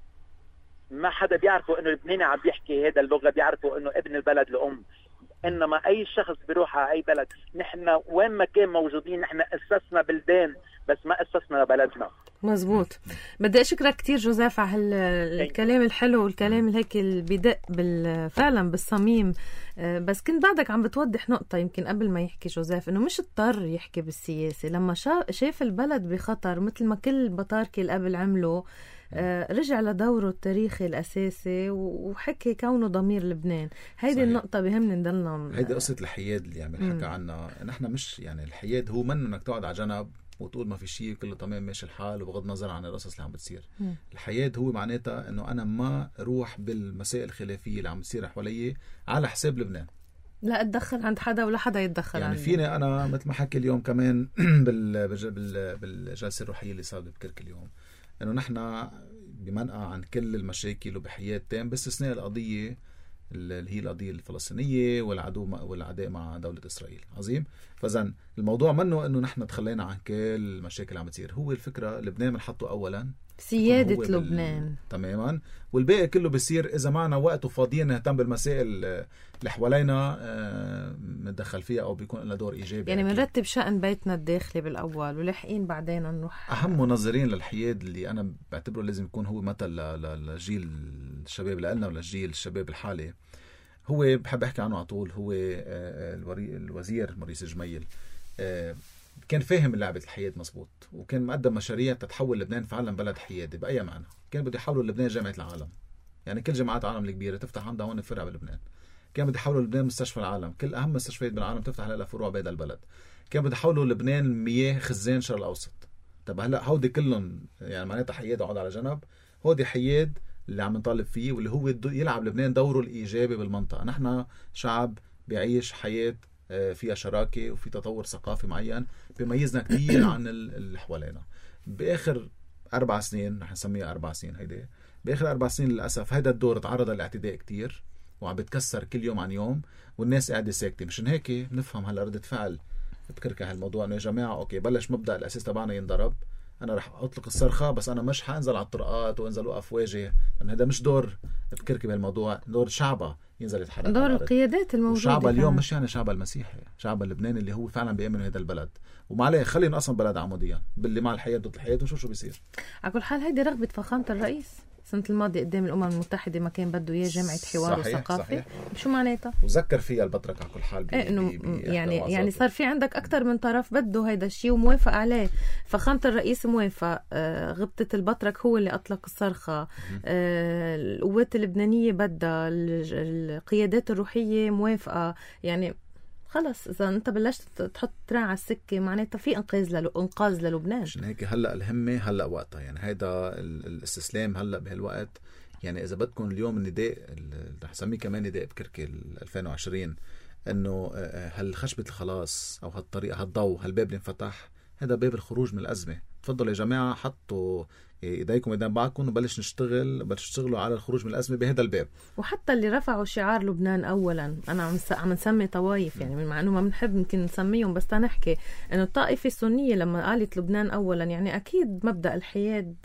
ما حدا بيعرفوا إنه لبناني عم بيحكي هذا اللغة، بيعرفوا إنه ابن البلد الأم. إنما أي شخص بيروح على أي بلد، نحن وين ما كان موجودين نحن أسسنا بلدان بس ما أسسنا بلدنا. مزبوط. بدي أشكرك كتير جوزيف على الكلام الحلو والكلام هيك اللي بدق فعلا بالصميم. بس كنت بعدك عم بتوضح نقطة يمكن قبل ما يحكي جوزيف، إنه مش اضطر يحكي بالسياسة. لما شاف البلد بخطر مثل ما كل بطاركي اللي قبل عملوا، رجع لدوره التاريخي الأساسي وحكي كونه ضمير لبنان. هيدي النقطة بهمنا نضلنا. هيدي قصة الحياد اللي عم يحكى عنها. نحن مش يعني الحياد هو من انك تقعد على جنب وتقول ما في شيء كله تمام ماشي الحال وبغض نظر عن القصص اللي عم بتصير. مم. الحياد هو معناتها انه انا ما اروح بالمسائل الخلافية اللي عم بتصير حوالي على حساب لبنان، لا اتدخل عند حدا ولا حدا يتدخل يعني عني. فيني انا مثل ما حكي اليوم كمان بال بالجلسة الروحية اللي صارت بكرك اليوم، انه نحن بمنقى عن كل المشاكل وبحياد تام باستثناء القضية اللي هي القضية الفلسطينية والعدو والعداء مع دولة إسرائيل. عظيم. فإذن الموضوع منه إنه نحن تخلينا عن كل المشاكل اللي عم تصير. هو الفكرة لبنان بنحطه أولا، سيادة لبنان بال... تماما، والباقي كله بيصير إذا معنا وقت وفاضيين نهتم بالمسائل اللي حوالينا متدخل فيها أو بيكون لنا دور إيجابي. يعني بنرتب شأن بيتنا الداخلي بالأول ولاحقين بعدين نروح. أهم منظرين للحياد اللي أنا بعتبره لازم يكون هو مثل للجيل الشباب لنا وللجيل الشباب الحالي، هو بحب أحكي عنه على طول، هو الوزير موريس جميل. كان فاهم لعبة الحياد مزبوط، وكان مقدم مشاريع تتحول لبنان فعلا بلد حيادي بأي معنى. كان بده يحولوا لبنان جامعة العالم، يعني كل جامعات العالم الكبيرة تفتح عندها هون فرع بلبنان. كان بده يحولوا لبنان مستشفى العالم، كل أهم مستشفيات بالعالم تفتح لها فروع بهذا البلد. كان بده يحولوا لبنان مياه خزان الشرق الأوسط. طب هلا هودي كلهم يعني معناتها حياد اقعد على جنب، هودي حياد اللي عم نطالب فيه واللي هو يلعب لبنان دوره الإيجابي بالمنطقة. نحن شعب بيعيش حياة فيها شراكة وفي تطور ثقافي معين بيميزنا كتير عن اللي حوالينا. بآخر أربع سنين رح نسميها أربع سنين هيدي، بآخر أربع سنين للأسف هيدا الدور تعرض للاعتداء كتير وعم بتكسر كل يوم عن يوم والناس قاعدة ساكتة. مشان هيك نفهم هلا ردة فعل بكركة هالموضوع، إنه يا جماعة أوكي بلش مبدأ الأساس تبعنا ينضرب، أنا رح أطلق الصرخة بس أنا مش حأنزل على الطرقات وأنزل وقف واجه، لأن هذا مش دور بكركة بهالموضوع، دور شعبه ينزل يتحرك، دور القيادات الموجودة. شعب اليوم مش يعني شعب المسيحي، شعب اللبناني اللي هو فعلا بيأمن هذا البلد. وما عليه خلينا أصلا بلد عموديا باللي مع الحياة ضد الحياة وشو شو بيصير. على كل حال هيدي رغبة فخامة الرئيس السنة الماضية قدام الأمم المتحدة، ما كان بده إياه جامعة حوار وثقافة. شو معناتها؟ وذكر فيها البطرك على كل حال. إيه إنه يعني يعني صار في عندك أكتر من طرف بده هيدا الشيء وموافق عليه. فخامة الرئيس موافق، آه غبطة البطرك هو اللي أطلق الصرخة، آه القوات اللبنانية بدها، القيادات الروحية موافقة. يعني خلص إذا أنت بلشت تحط تراع على السكة معناتها في إنقاذ لل... إنقاذ للبنان. عشان هيك هلأ الهمة هلأ وقتها، يعني هيدا الاستسلام هلأ بهالوقت. يعني إذا بدكم اليوم النداء رح نسميه كمان نداء بكركي ألفين وعشرين، إنه هالخشبة الخلاص أو هالطريقة هالضوء هالباب اللي انفتح، هذا باب الخروج من الأزمة. تفضلوا يا جماعة حطوا ايديكم ايدين بعضكم وبلش نشتغل بلش نشتغلوا على الخروج من الأزمة بهذا الباب. وحتى اللي رفعوا شعار لبنان أولا، أنا عم عم نسمي طوائف يعني مع إنه ما بنحب يمكن نسميهم، بس تنحكي إنه الطائفة السنية لما قالت لبنان أولا، يعني أكيد مبدأ الحياد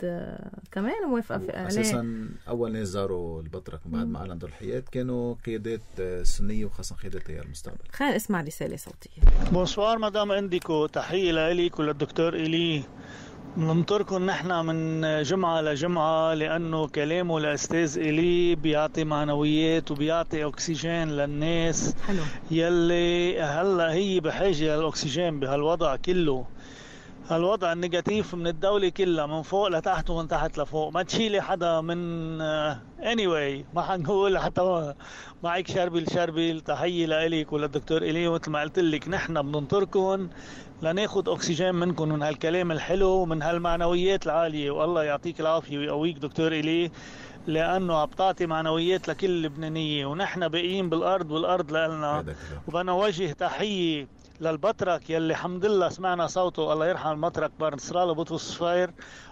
كمان موافقة عليه. أساسا أول ناس زاروا البطرك بعد ما أعلن دور الحياد كانوا قيادات سنية وخاصة قيادات تيار المستقبل. خلينا نسمع رسالة صوتية. بونسوار مدام انديكو، تحية لإليك وللدكتور إلي. ننطركم نحن من جمعة لجمعة لأنه كلامه الأستاذ إلي بيعطي معنويات وبيعطي أكسجين للناس. حلو. يلي هلا هي بحاجة للأكسجين بهالوضع كله، هالوضع النيجاتيف من الدولة كلها من فوق لتحت ومن تحت لفوق. ما تشيلي حدا من anyway ما حنقول حتى معك شربل شربل. تحية لإليك وللدكتور إلي، ومثل ما قلت لك نحن بننطركم لناخد أكسجين منكم من هالكلام الحلو ومن هالمعنويات العالية. والله يعطيك العافية ويقويك دكتور إلي، لأنه عم تعطي معنويات لكل لبنانية، ونحن باقيين بالأرض والأرض لنا. وبنا وجه تحية للبطرك يلي الحمد لله سمعنا صوته، الله يرحم المطرك بارنسرال بطرس الصفير.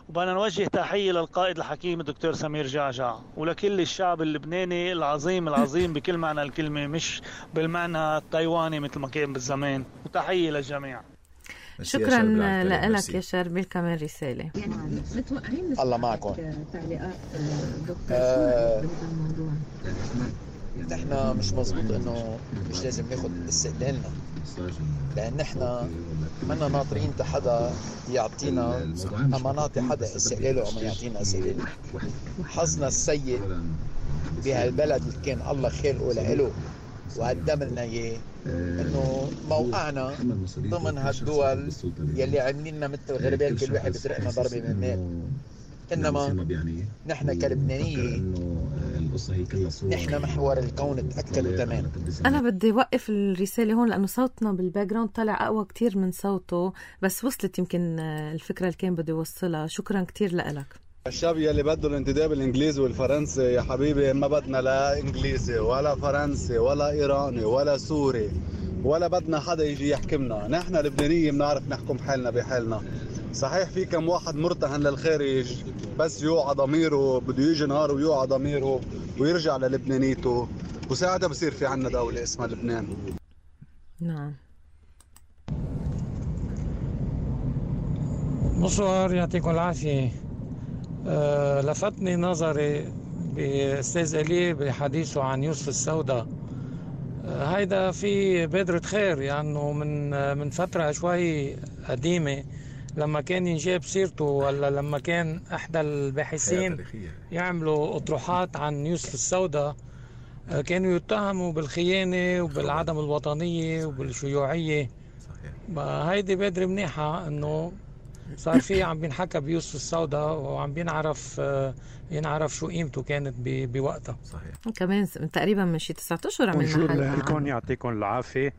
وبنا نوجه تحية للقائد الحكيم الدكتور سمير جعجع، ولكل الشعب اللبناني العظيم العظيم بكل معنى الكلمة، مش بالمعنى التايواني مثل ما كان بالزمان. وتحية للجميع. شكرا لك يا شربيل. كمان رسالة. الله معكم. نحن مش مزبوط انه مش لازم ناخد استقلالنا، لان نحن منا ناطرين حدا يعطينا اما نعطي حدا استقلاله اما يعطينا استقلاله. حظنا السيء بهالبلد اللي كان الله خلقه لإله وقدم لنا اياه انه موقعنا ضمن هالدول يلي عاملين لنا مثل الغربال، كل واحد بيسرقنا ضربه من المال. انما نحن كلبنانيه نحن محور الكون تاكد وتمام. انا بدي اوقف الرساله هون لانه صوتنا بالباك جراوند طلع اقوى كتير من صوته، بس وصلت يمكن الفكره اللي كان بدي اوصلها. شكرا كتير لك. الشعب يلي بده الانتداب الانجليزي والفرنسي يا حبيبي، ما بدنا لا انجليزي ولا فرنسي ولا ايراني ولا سوري ولا بدنا حدا يجي يحكمنا. نحن لبنانية بنعرف نحكم حالنا بحالنا. صحيح في كم واحد مرتهن للخارج بس يوعى ضميره، بده يجي نهار ويوعى ضميره ويرجع للبنانيته، وساعتها بصير في عنا دولة اسمها لبنان. نعم. بونسوار، يعطيكم العافية. أه لفتني نظري بأستاذ إلي بحديثه عن يوسف السوداء. أه هيدا في بادرة خير، يعني من أه من فترة شوي قديمة لما كان ينجاب سيرته، ولا لما كان أحدى الباحثين يعملوا أطروحات عن يوسف السوداء أه كانوا يتهموا بالخيانة وبالعدم الوطنية وبالشيوعية. هيدي بادرة منيحة إنه صار في عم بينحكى بيوسف السوداء وعم بينعرف ينعرف شو قيمته كانت بوقتها. صحيح. كمان تقريبا من شي تسعة اشهر عملنا حلقة. لكم يعطيكم العافية.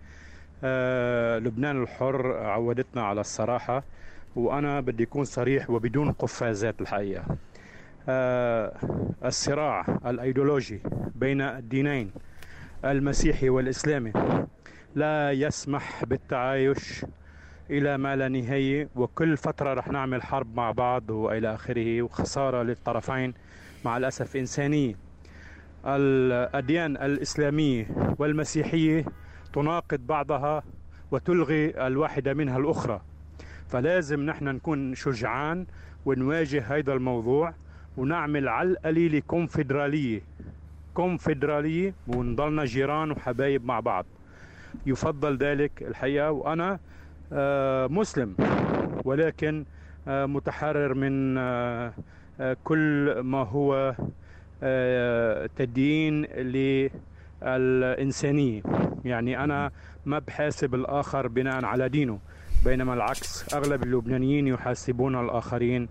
آه لبنان الحر عودتنا على الصراحة، وانا بدي اكون صريح وبدون قفازات. الحقيقة آه الصراع الايديولوجي بين الدينين المسيحي والاسلامي لا يسمح بالتعايش إلى ما لا نهاية، وكل فترة رح نعمل حرب مع بعض وإلى آخره، وخسارة للطرفين مع الأسف إنسانية. الأديان الإسلامية والمسيحية تناقض بعضها وتلغي الواحدة منها الأخرى، فلازم نحن نكون شجعان ونواجه هذا الموضوع ونعمل على القليل كونفدرالية كونفدرالية ونضلنا جيران وحبايب مع بعض. يفضل ذلك الحقيقة. وأنا آه مسلم، ولكن آه متحرر من آه آه كل ما هو آه تدين للإنسانية. يعني أنا ما بحاسب الآخر بناء على دينه، بينما العكس أغلب اللبنانيين يحاسبون الآخرين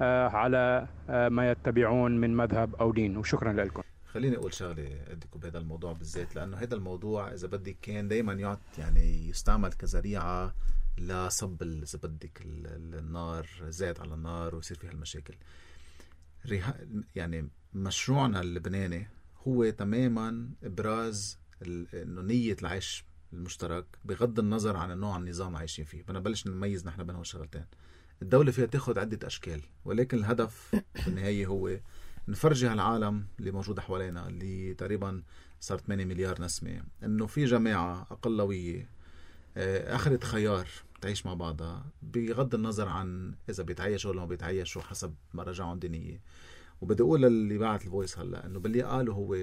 آه على آه ما يتبعون من مذهب أو دين. وشكرا لكم. خليني أقول شغلة أديكم بهذا الموضوع بالذات، لأنه هذا الموضوع إذا بدك كان دايما يعط يعني يستعمل كذريعة لصب إذا بدك النار، زاد على النار ويصير فيها المشاكل. يعني مشروعنا اللبناني هو تماما إبراز إنه نية العيش المشترك بغض النظر عن النوع النظام عايشين فيه. بدنا نبلش نميز نحن بينهم الشغلتين. الدولة فيها تاخد عدة أشكال، ولكن الهدف في النهاية هو نفرجي هالعالم اللي موجودة حوالينا اللي تقريبا صار ثمانية مليار نسمة انه في جماعة اقلوية اخذت خيار تعيش مع بعضها بغض النظر عن اذا بيتعايشوا ولا ما بيتعايشوا حسب مراجعهم دينية. وبدي اقول للي بعت الفويس هلا انه باللي قاله هو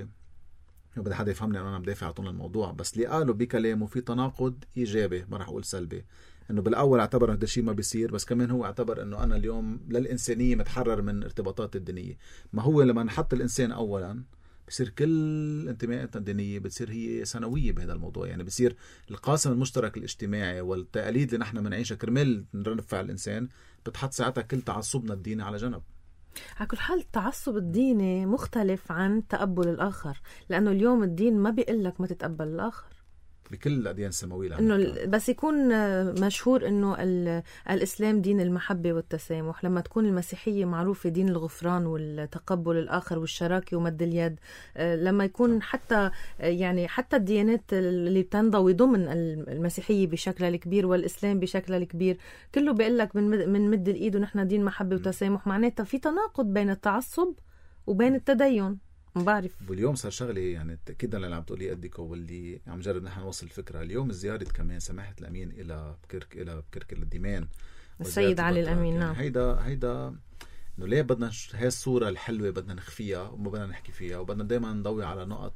بدي حدا يفهمني انه انا بدافع عن الموضوع، بس اللي قاله بكلامه في تناقض ايجابي، ما راح اقول سلبي. انه بالاول اعتبر هذا الشيء ما بيصير، بس كمان هو اعتبر انه انا اليوم للانسانيه متحرر من ارتباطات الدينيه. ما هو لما نحط الانسان اولا بصير كل انتماءاتنا الدينيه بتصير هي سنويه بهذا الموضوع. يعني بصير القاسم المشترك الاجتماعي والتقاليد اللي نحن بنعيشها كرمال نرفع الانسان بتحط ساعتها كل تعصبنا الديني على جنب. على كل حال التعصب الديني مختلف عن تقبل الآخر، لأنه اليوم الدين ما بيقول لك ما تتقبل الآخر بكل الأديان السماوية، إنه بس يكون مشهور إنه الإسلام دين المحبة والتسامح، لما تكون المسيحية معروفة دين الغفران والتقبل الآخر والشراكة ومد اليد، لما يكون حتى يعني حتى الديانات اللي بتنضوي ضمن المسيحية بشكل الكبير والإسلام بشكل الكبير كله بيقول لك من من مد الإيد ونحن دين محبة وتسامح. معناتها في تناقض بين التعصب وبين التدين. ما بعرف. واليوم صار شغله يعني تاكيدا اللي عم تقولي قدك واللي عم جرب نحن نوصل الفكره. اليوم زياره كمان سماحه الامين الى بكرك الى بكرك الديمان السيد علي الامين. نعم. هيدا هيدا انه ليه بدنا هاي الصوره الحلوه بدنا نخفيها وما بدنا نحكي فيها وبدنا دائما نضوي على نقط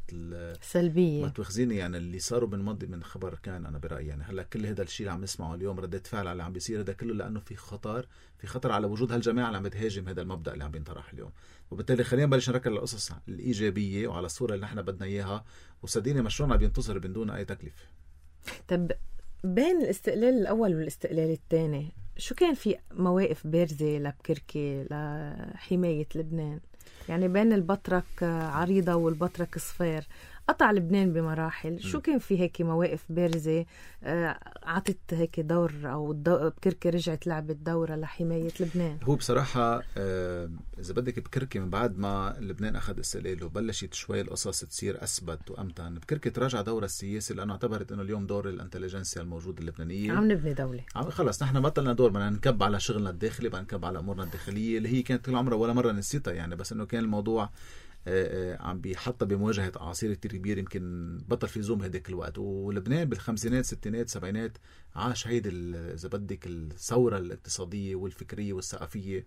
سلبيه. ما تواخذيني يعني اللي صاروا من ماضي من خبر كان انا برايي يعني هلا كل هذا الشيء اللي عم نسمعه اليوم ردة فعل على اللي عم بيصير هذا كله لانه في خطر في خطر على وجود هالجماعه اللي عم بتهاجم هذا المبدا اللي عم بينطرح اليوم. وبالتالي خلينا نبلش نركز على القصص الايجابيه وعلى الصوره اللي نحن بدنا اياها وصدقيني مشروعنا بينتصر من دون اي تكلفه. طب بين الاستقلال الاول والاستقلال الثاني شو كان في مواقف بارزة لبكركي لحماية لبنان؟ يعني بين البطرك عريضة والبطرك صفير قطع لبنان بمراحل، شو كان في هيك مواقف بارزة عطت هيك دور أو بكركي رجعت لعبت دورة لحماية لبنان؟ هو بصراحة إذا بدك بكركي من بعد ما لبنان أخذ استقلاله وبلشت شوي القصص تصير أثبت وأمتن، بكركي تراجع دورة السياسي لأنه اعتبرت إنه اليوم دور الانتليجنسيا الموجودة اللبنانية عم نبني دولة، عم خلص نحن بطلنا دور، بدنا نكب على شغلنا الداخلي، بدنا نكب على أمورنا الداخلية اللي هي كانت طول عمرها ولا مرة نسيتها يعني، بس إنه كان الموضوع عم بيحطها بمواجهة أعاصير كتير كبير يمكن بطل في زوم هديك الوقت. ولبنان بالخمسينات ستينات سبعينات عاش هيدي إذا بدك الثورة الاقتصادية والفكرية والثقافية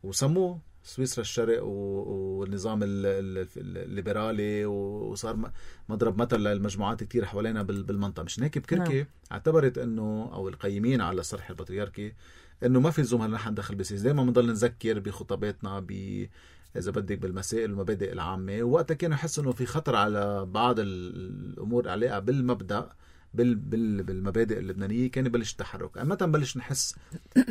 وسموه سويسرا الشرق والنظام الليبرالي وصار مضرب مثل للمجموعات كتير حوالينا بالمنطقة. مش هيك بكركي اعتبرت انه او القيمين على الصرح البطريركي انه ما في لزوم هلا نحن ندخل بسياسة، دائما بنضل نذكر بخطاباتنا ب إذا بدك بالمسائل والمبادئ العامة، ووقتها كانوا يحسوا إنه في خطر على بعض الأمور علاقة بالمبدأ بال بال بالمبادئ اللبنانية، كان يبلش التحرك. متى بلش نحس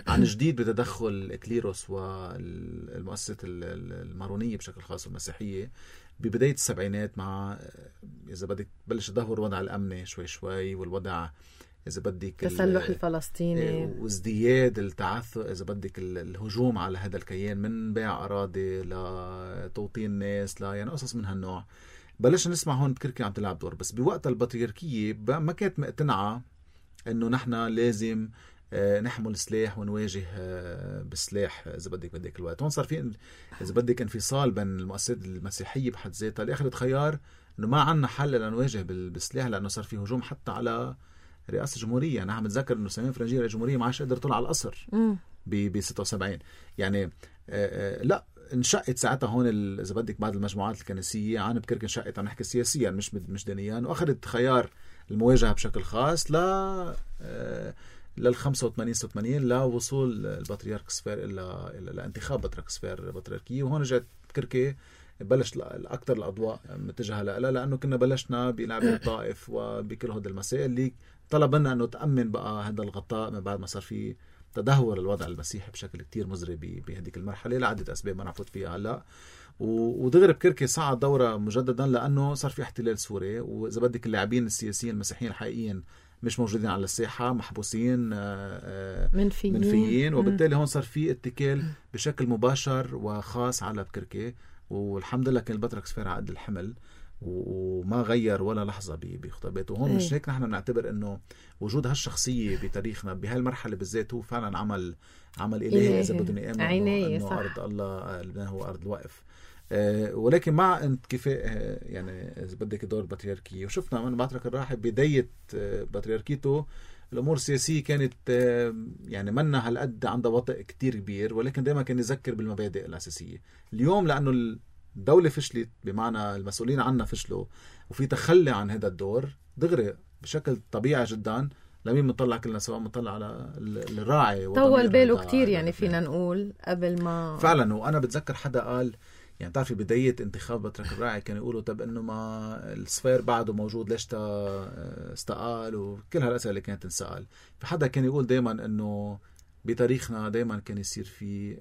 عن جديد بتدخل الكليروس والمؤسسة المارونية بشكل خاص والمسيحية ببداية السبعينات، مع إذا بدك بلش تدهور الوضع الأمني شوي شوي والوضع إذا بدك التسلح الفلسطيني وازدياد التعثر إذا بدك الهجوم على هذا الكيان من بيع أراضي لتوطين ناس لا يعني قصص من هالنوع. بلش نسمع هون بكركي عم تلعب دور، بس بوقت البطريركية ما كانت مقتنعة إنه نحن لازم نحمل سلاح ونواجه بالسلاح إذا بدك بدك الوقت. هون صار في إذا بدك انفصال بين المؤسسات المسيحية بحد ذاتها اللي أخذت خيار إنه ما عنا حل لنواجه بالسلاح، لأنه صار في هجوم حتى على رئاسة الجمهورية. أنا عم بتذكر إنه سمين فرنجية الجمهورية ما عادش قدر طلع على القصر ب ستة وسبعين يعني آآ آآ لا انشقت ساعتها هون إذا بدك بعض المجموعات الكنسية عن بكرك انشقت، عم نحكي سياسيا مش مش دينيا، وأخذت خيار المواجهة بشكل خاص ل لل خمسة وثمانين ستة وثمانين لوصول البطريرك صفير إلى لانتخاب بطريرك صفير بطريركية. وهون رجعت بكركي بلش الأكثر الأضواء متجهة لها لأنه كنا بلشنا بلعبة الطائف وبكل هذه المسائل اللي طلب لنا أنه تأمن بقى هذا الغطاء من بعد ما صار في تدهور الوضع المسيحي بشكل كتير مزري بهذيك المرحلة لعدة أسباب ما نعفوت فيها هلا. ودغري بكركي صعد دورة مجددا لأنه صار في احتلال سوري، وإذا بدك اللاعبين السياسيين المسيحيين الحقيقيين مش موجودين على الساحة، محبوسين منفيين, منفيين وبالتالي هون صار في اتكال بشكل مباشر وخاص على بكركي. والحمد لله كان البطرك صفير عقد الحمل وما غير ولا لحظة بخطاباته. وهون مش هيك نحن نعتبر انه وجود هالشخصية بتاريخنا بهالمرحلة بالذات هو فعلا عمل عمل إلهي إذا بدنا نآمن انه أرض الله لبنان هو أرض الوقف. أه ولكن مع انكفاء أه يعني إذا بدك دور البطريركية، وشفنا من بطرك الراحل بداية أه بطريركيته الأمور السياسية كانت أه يعني منا هالقد عندها وطئ كتير كبير، ولكن دائما كان يذكر بالمبادئ الأساسية. اليوم لأنه الدولة فشلت بمعنى المسؤولين عنها فشلوا وفي تخلي عن هذا الدور دغري بشكل طبيعي جدا لمين بنطلع كلنا سوا بنطلع على الراعي طول باله كتير يعني فينا نقول قبل ما فعلا. وأنا بتذكر حدا قال يعني تعرفي بداية انتخاب بطرك الراعي كانوا يقولوا طب انه ما الصفير بعده موجود ليش استقال وكل هالأسئلة اللي كانت تنسأل. في حدا كان يقول دايما انه بتاريخنا دايما كان يصير في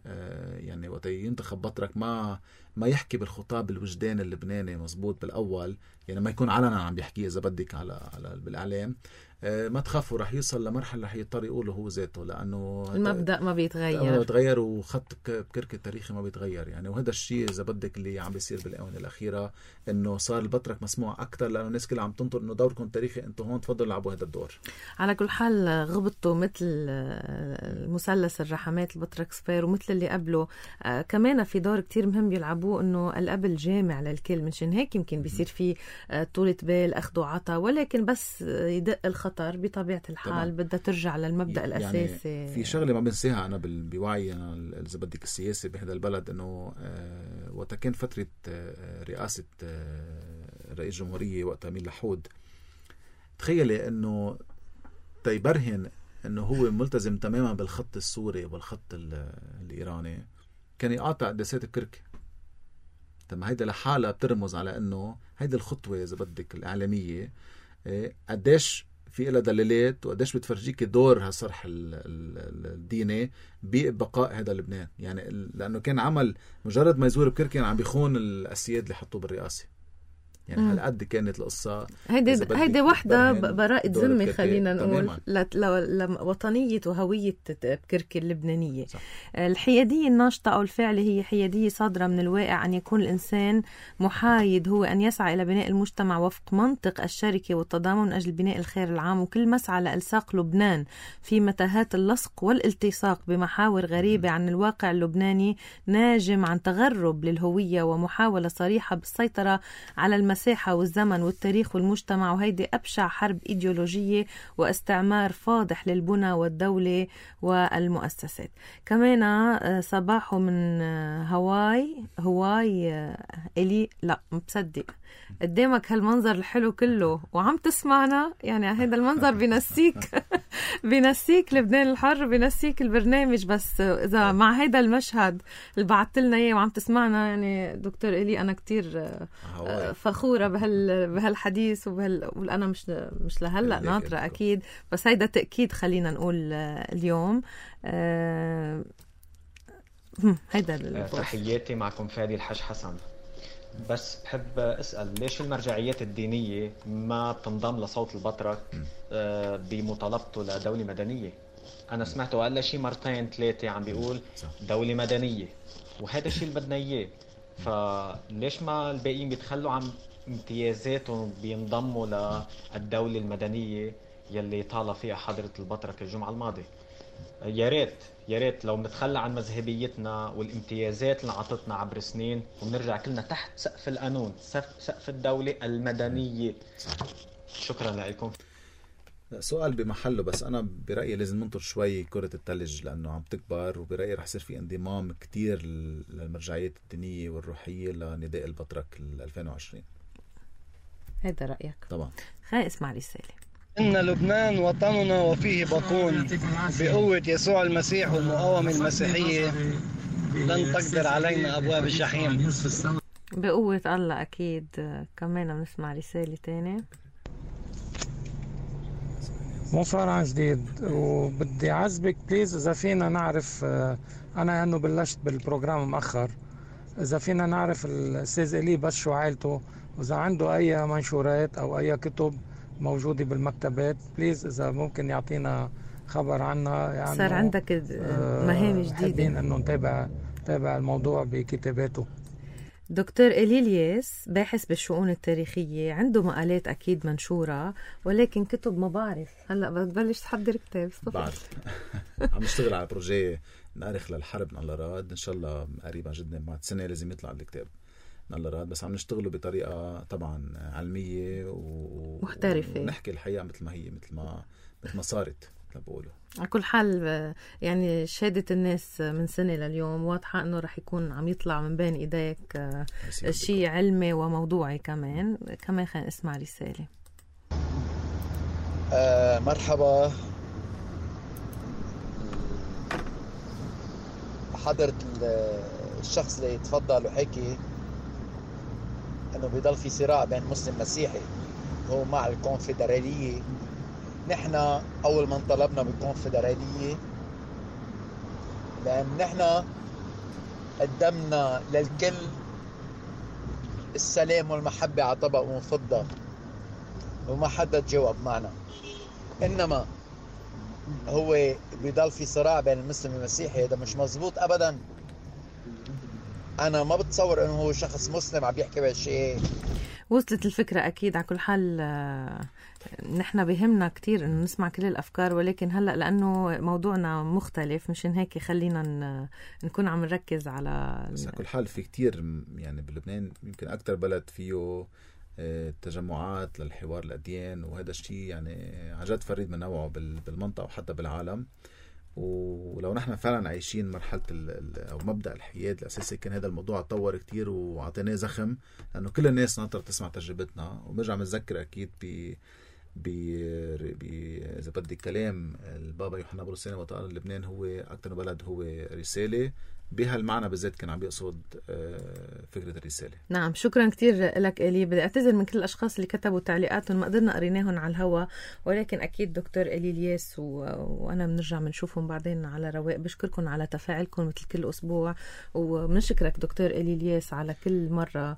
يعني وقت ينتخب بطرك ما ما يحكي بالخطاب الوجدان اللبناني مزبوط بالاول، يعني ما يكون علنا عم بيحكي اذا بدك على على بالاعلام. ما تخافوا رح يوصل لمرحله رح يضطر يقوله هو ذاته لانه المبدا ما بيتغير ما بيتغير وخط بكرك التاريخي ما بيتغير يعني. وهذا الشيء اذا بدك اللي عم بيصير بالاونه الاخيره انه صار البطرك مسموع اكثر لانه الناس كلها عم تنطر انه دوركم تاريخي انتم هون تفضلوا لعبوا هذا الدور. على كل حال غبطوا مثل المثلث الرحمات البطرك صفير ومثل اللي قبله آه كمان في دور كتير مهم بيلعبوه انه الاب الجامع للكل. منشان هيك يمكن بيصير في آه طولة بال اخذ وعطا، ولكن بس يدق الخط خطر بطبيعة الحال بدها ترجع للمبدأ يعني الأساسي. يعني في شغلة ما بنساها أنا بوعي أنا إذا بدك السياسي بهذا البلد، إنه آه وقت كان فترة آه رئاسة آه رئيس جمهورية وقت أمين لحود، تخيلي إنه تيبرهن إنه هو ملتزم تماما بالخط السوري والخط الإيراني، كان يقاطع قداسات بكركي. طب هيدا لحالها بترمز على إنه هيدا الخطوة إذا بدك الإعلامية قديش في إلها دلالات وقديش بتفرجيك دور هالصرح الديني ببقاء هذا لبنان. يعني لأنه كان عمل مجرد ما يزور بكركي عم بيخون الأسياد اللي حطوه بالرئاسة. يعني هالقد كانت القصة. هيدي هيدي وحدة براءة ذمة خلينا نقول لوطنية وهوية بكركي اللبنانية. صح. الحيادية الناشطة أو الفعلة هي حيادية صادرة من الواقع أن يكون الإنسان محايد، هو أن يسعى إلى بناء المجتمع وفق منطق الشركة والتضامن من أجل بناء الخير العام، وكل مسعى لإلصاق لبنان في متاهات اللصق والالتصاق بمحاور غريبة عن الواقع اللبناني ناجم عن تغرب للهوية ومحاولة صريحة بالسيطرة على المساحة والزمن والتاريخ والمجتمع. وهيدي أبشع حرب إيديولوجية واستعمار فاضح للبنى والدولة والمؤسسات. كمان صباحه من هواي هواي إلي لا مصدق قدامك هالمنظر الحلو كله وعم تسمعنا. يعني هذا المنظر بينسيك بينسيك لبنان الحر، بينسيك البرنامج. بس إذا مع هذا المشهد اللي بعثت لنا إياه وعم تسمعنا، يعني دكتور إلي أنا كتير فخورة بهال بهالحديث وبهال وأنا مش مش لهلا ناطرة أكيد، بس هيدا تأكيد خلينا نقول اليوم. أه هيدا تحياتي معكم فادي الحاج حسن. بس بحب أسأل ليش المرجعيات الدينية ما بتنضم لصوت البطرك بمطالبته لدولة مدنية؟ أنا سمعته قال شي مرتين ثلاثة عم بيقول دولة مدنية، وهذا الشيء اللي بدنا إياه. فليش ما الباقيين بيتخلوا عن امتيازاتهم بينضموا للدولة المدنية يلي طالع فيها حضرة البطرك الجمعة الماضية؟ يا ريت يا ريت لو بنتخلى عن مذهبيتنا والامتيازات اللي عطتنا عبر سنين ونرجع كلنا تحت سقف القانون، سقف الدولة المدنية. شكرا لكم. سؤال بمحله، بس أنا برأيي لازم ننطر شوي كرة الثلج لأنه عم تكبر، وبرأيي رح يصير في انضمام كتير للمرجعيات الدينية والروحية لنداء البطرك ألفين وعشرين. هذا رأيك؟ طبعا. خلينا اسمع رسالة. إن لبنان وطننا وفيه بقون، بقوة يسوع المسيح والمقاومة المسيحية لن تقدر علينا أبواب الجحيم. بقوة الله أكيد. كمان بنسمع رسالة تانية. مصار عن جديد، وبدي عزبك بليز إذا فينا نعرف، أنا أنه بلشت بالبروجرام مأخر، إذا فينا نعرف الأستاذ إلي بس شو عائلته، وإذا عنده أي منشورات أو أي كتب موجودة بالمكتبات بليز إذا ممكن يعطينا خبر عنها. يعني صار عندك مهام جديدة، حابين أنه نتابع نتابع الموضوع بكتاباته. دكتور إلي الياس باحث بالشؤون التاريخية، عنده مقالات أكيد منشورة، ولكن كتب ما بعرف. هلأ بتبلش تحضر كتاب؟ بعرف. عم نشتغل على بروجي نأرخ للحرب من الله راد، إن شاء الله قريبا جدا بعد سنة لازم يطلع الكتاب من الله راد. بس عم نشتغله بطريقة طبعا علمية ومحترفة، ونحكي الحقيقة مثل ما هي، مثل ما مثل ما صارت بقوله. على كل حال يعني شهادة الناس من سنة لليوم واضحة أنه رح يكون عم يطلع من بين إيديك شيء علمي وموضوعي. كمان كمان خلينا نسمع رسالة. آه مرحبا حضرت الشخص اللي تفضل وحكي أنه بيضل في صراع بين مسلم مسيحي هو مع الكونفدرالية. نحن أول من طلبنا بالكونفدرالية لأن نحن قدمنا للكل السلام والمحبة على طبق من فضة وما حدا تجاوب معنا. إنما هو بيضل في صراع بين المسلم والمسيحي، هذا مش مزبوط أبدا. أنا ما بتصور إنه هو شخص مسلم عم يحكي بهالشيء. وصلت الفكرة أكيد. على كل حال نحن بهمنا كتير إنه نسمع كل الأفكار، ولكن هلأ لأنه موضوعنا مختلف مشان هيك خلينا نكون عم نركز على. بس على كل حال في كتير يعني بلبنان، يمكن أكتر بلد فيه تجمعات للحوار الأديان، وهذا الشيء يعني عن جد فريد من نوعه بالمنطقة وحتى بالعالم. ولو نحن فعلا عايشين مرحلة أو مبدأ الحياد الأساسي، كان هذا الموضوع تطور كتير وعطيناه زخم، لأنه كل الناس ناطرة تسمع تجربتنا. وبرجع متذكر أكيد ب ب إذا بدي كلام البابا يوحنا بولس الثاني وقت قال لبنان هو أكتر بلد هو رسالة، بهالمعنى بالذات كان عم يقصد فكرة الرسالة. نعم، شكرا كتير لك إلي. بدي أعتذر من كل الأشخاص اللي كتبوا تعليقاتهم ما قدرنا قريناهم على الهواء، ولكن أكيد دكتور إلي الياس و... وأنا بنرجع بنشوفهم بعدين على رواق. بشكركم على تفاعلكم مثل كل أسبوع، وبنشكرك دكتور إلي الياس على كل مرة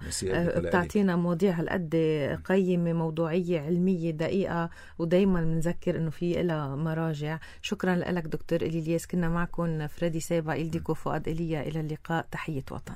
بتعطينا مواضيع هالقد قيمة، موضوعية، علمية، دقيقة، ودايما بنذكر إنه في إلها مراجع. شكرا لك دكتور إلي الياس. كنا معكم فريدي سابا، إلديكو، فؤاد إلى اللقاء. تحية وطن.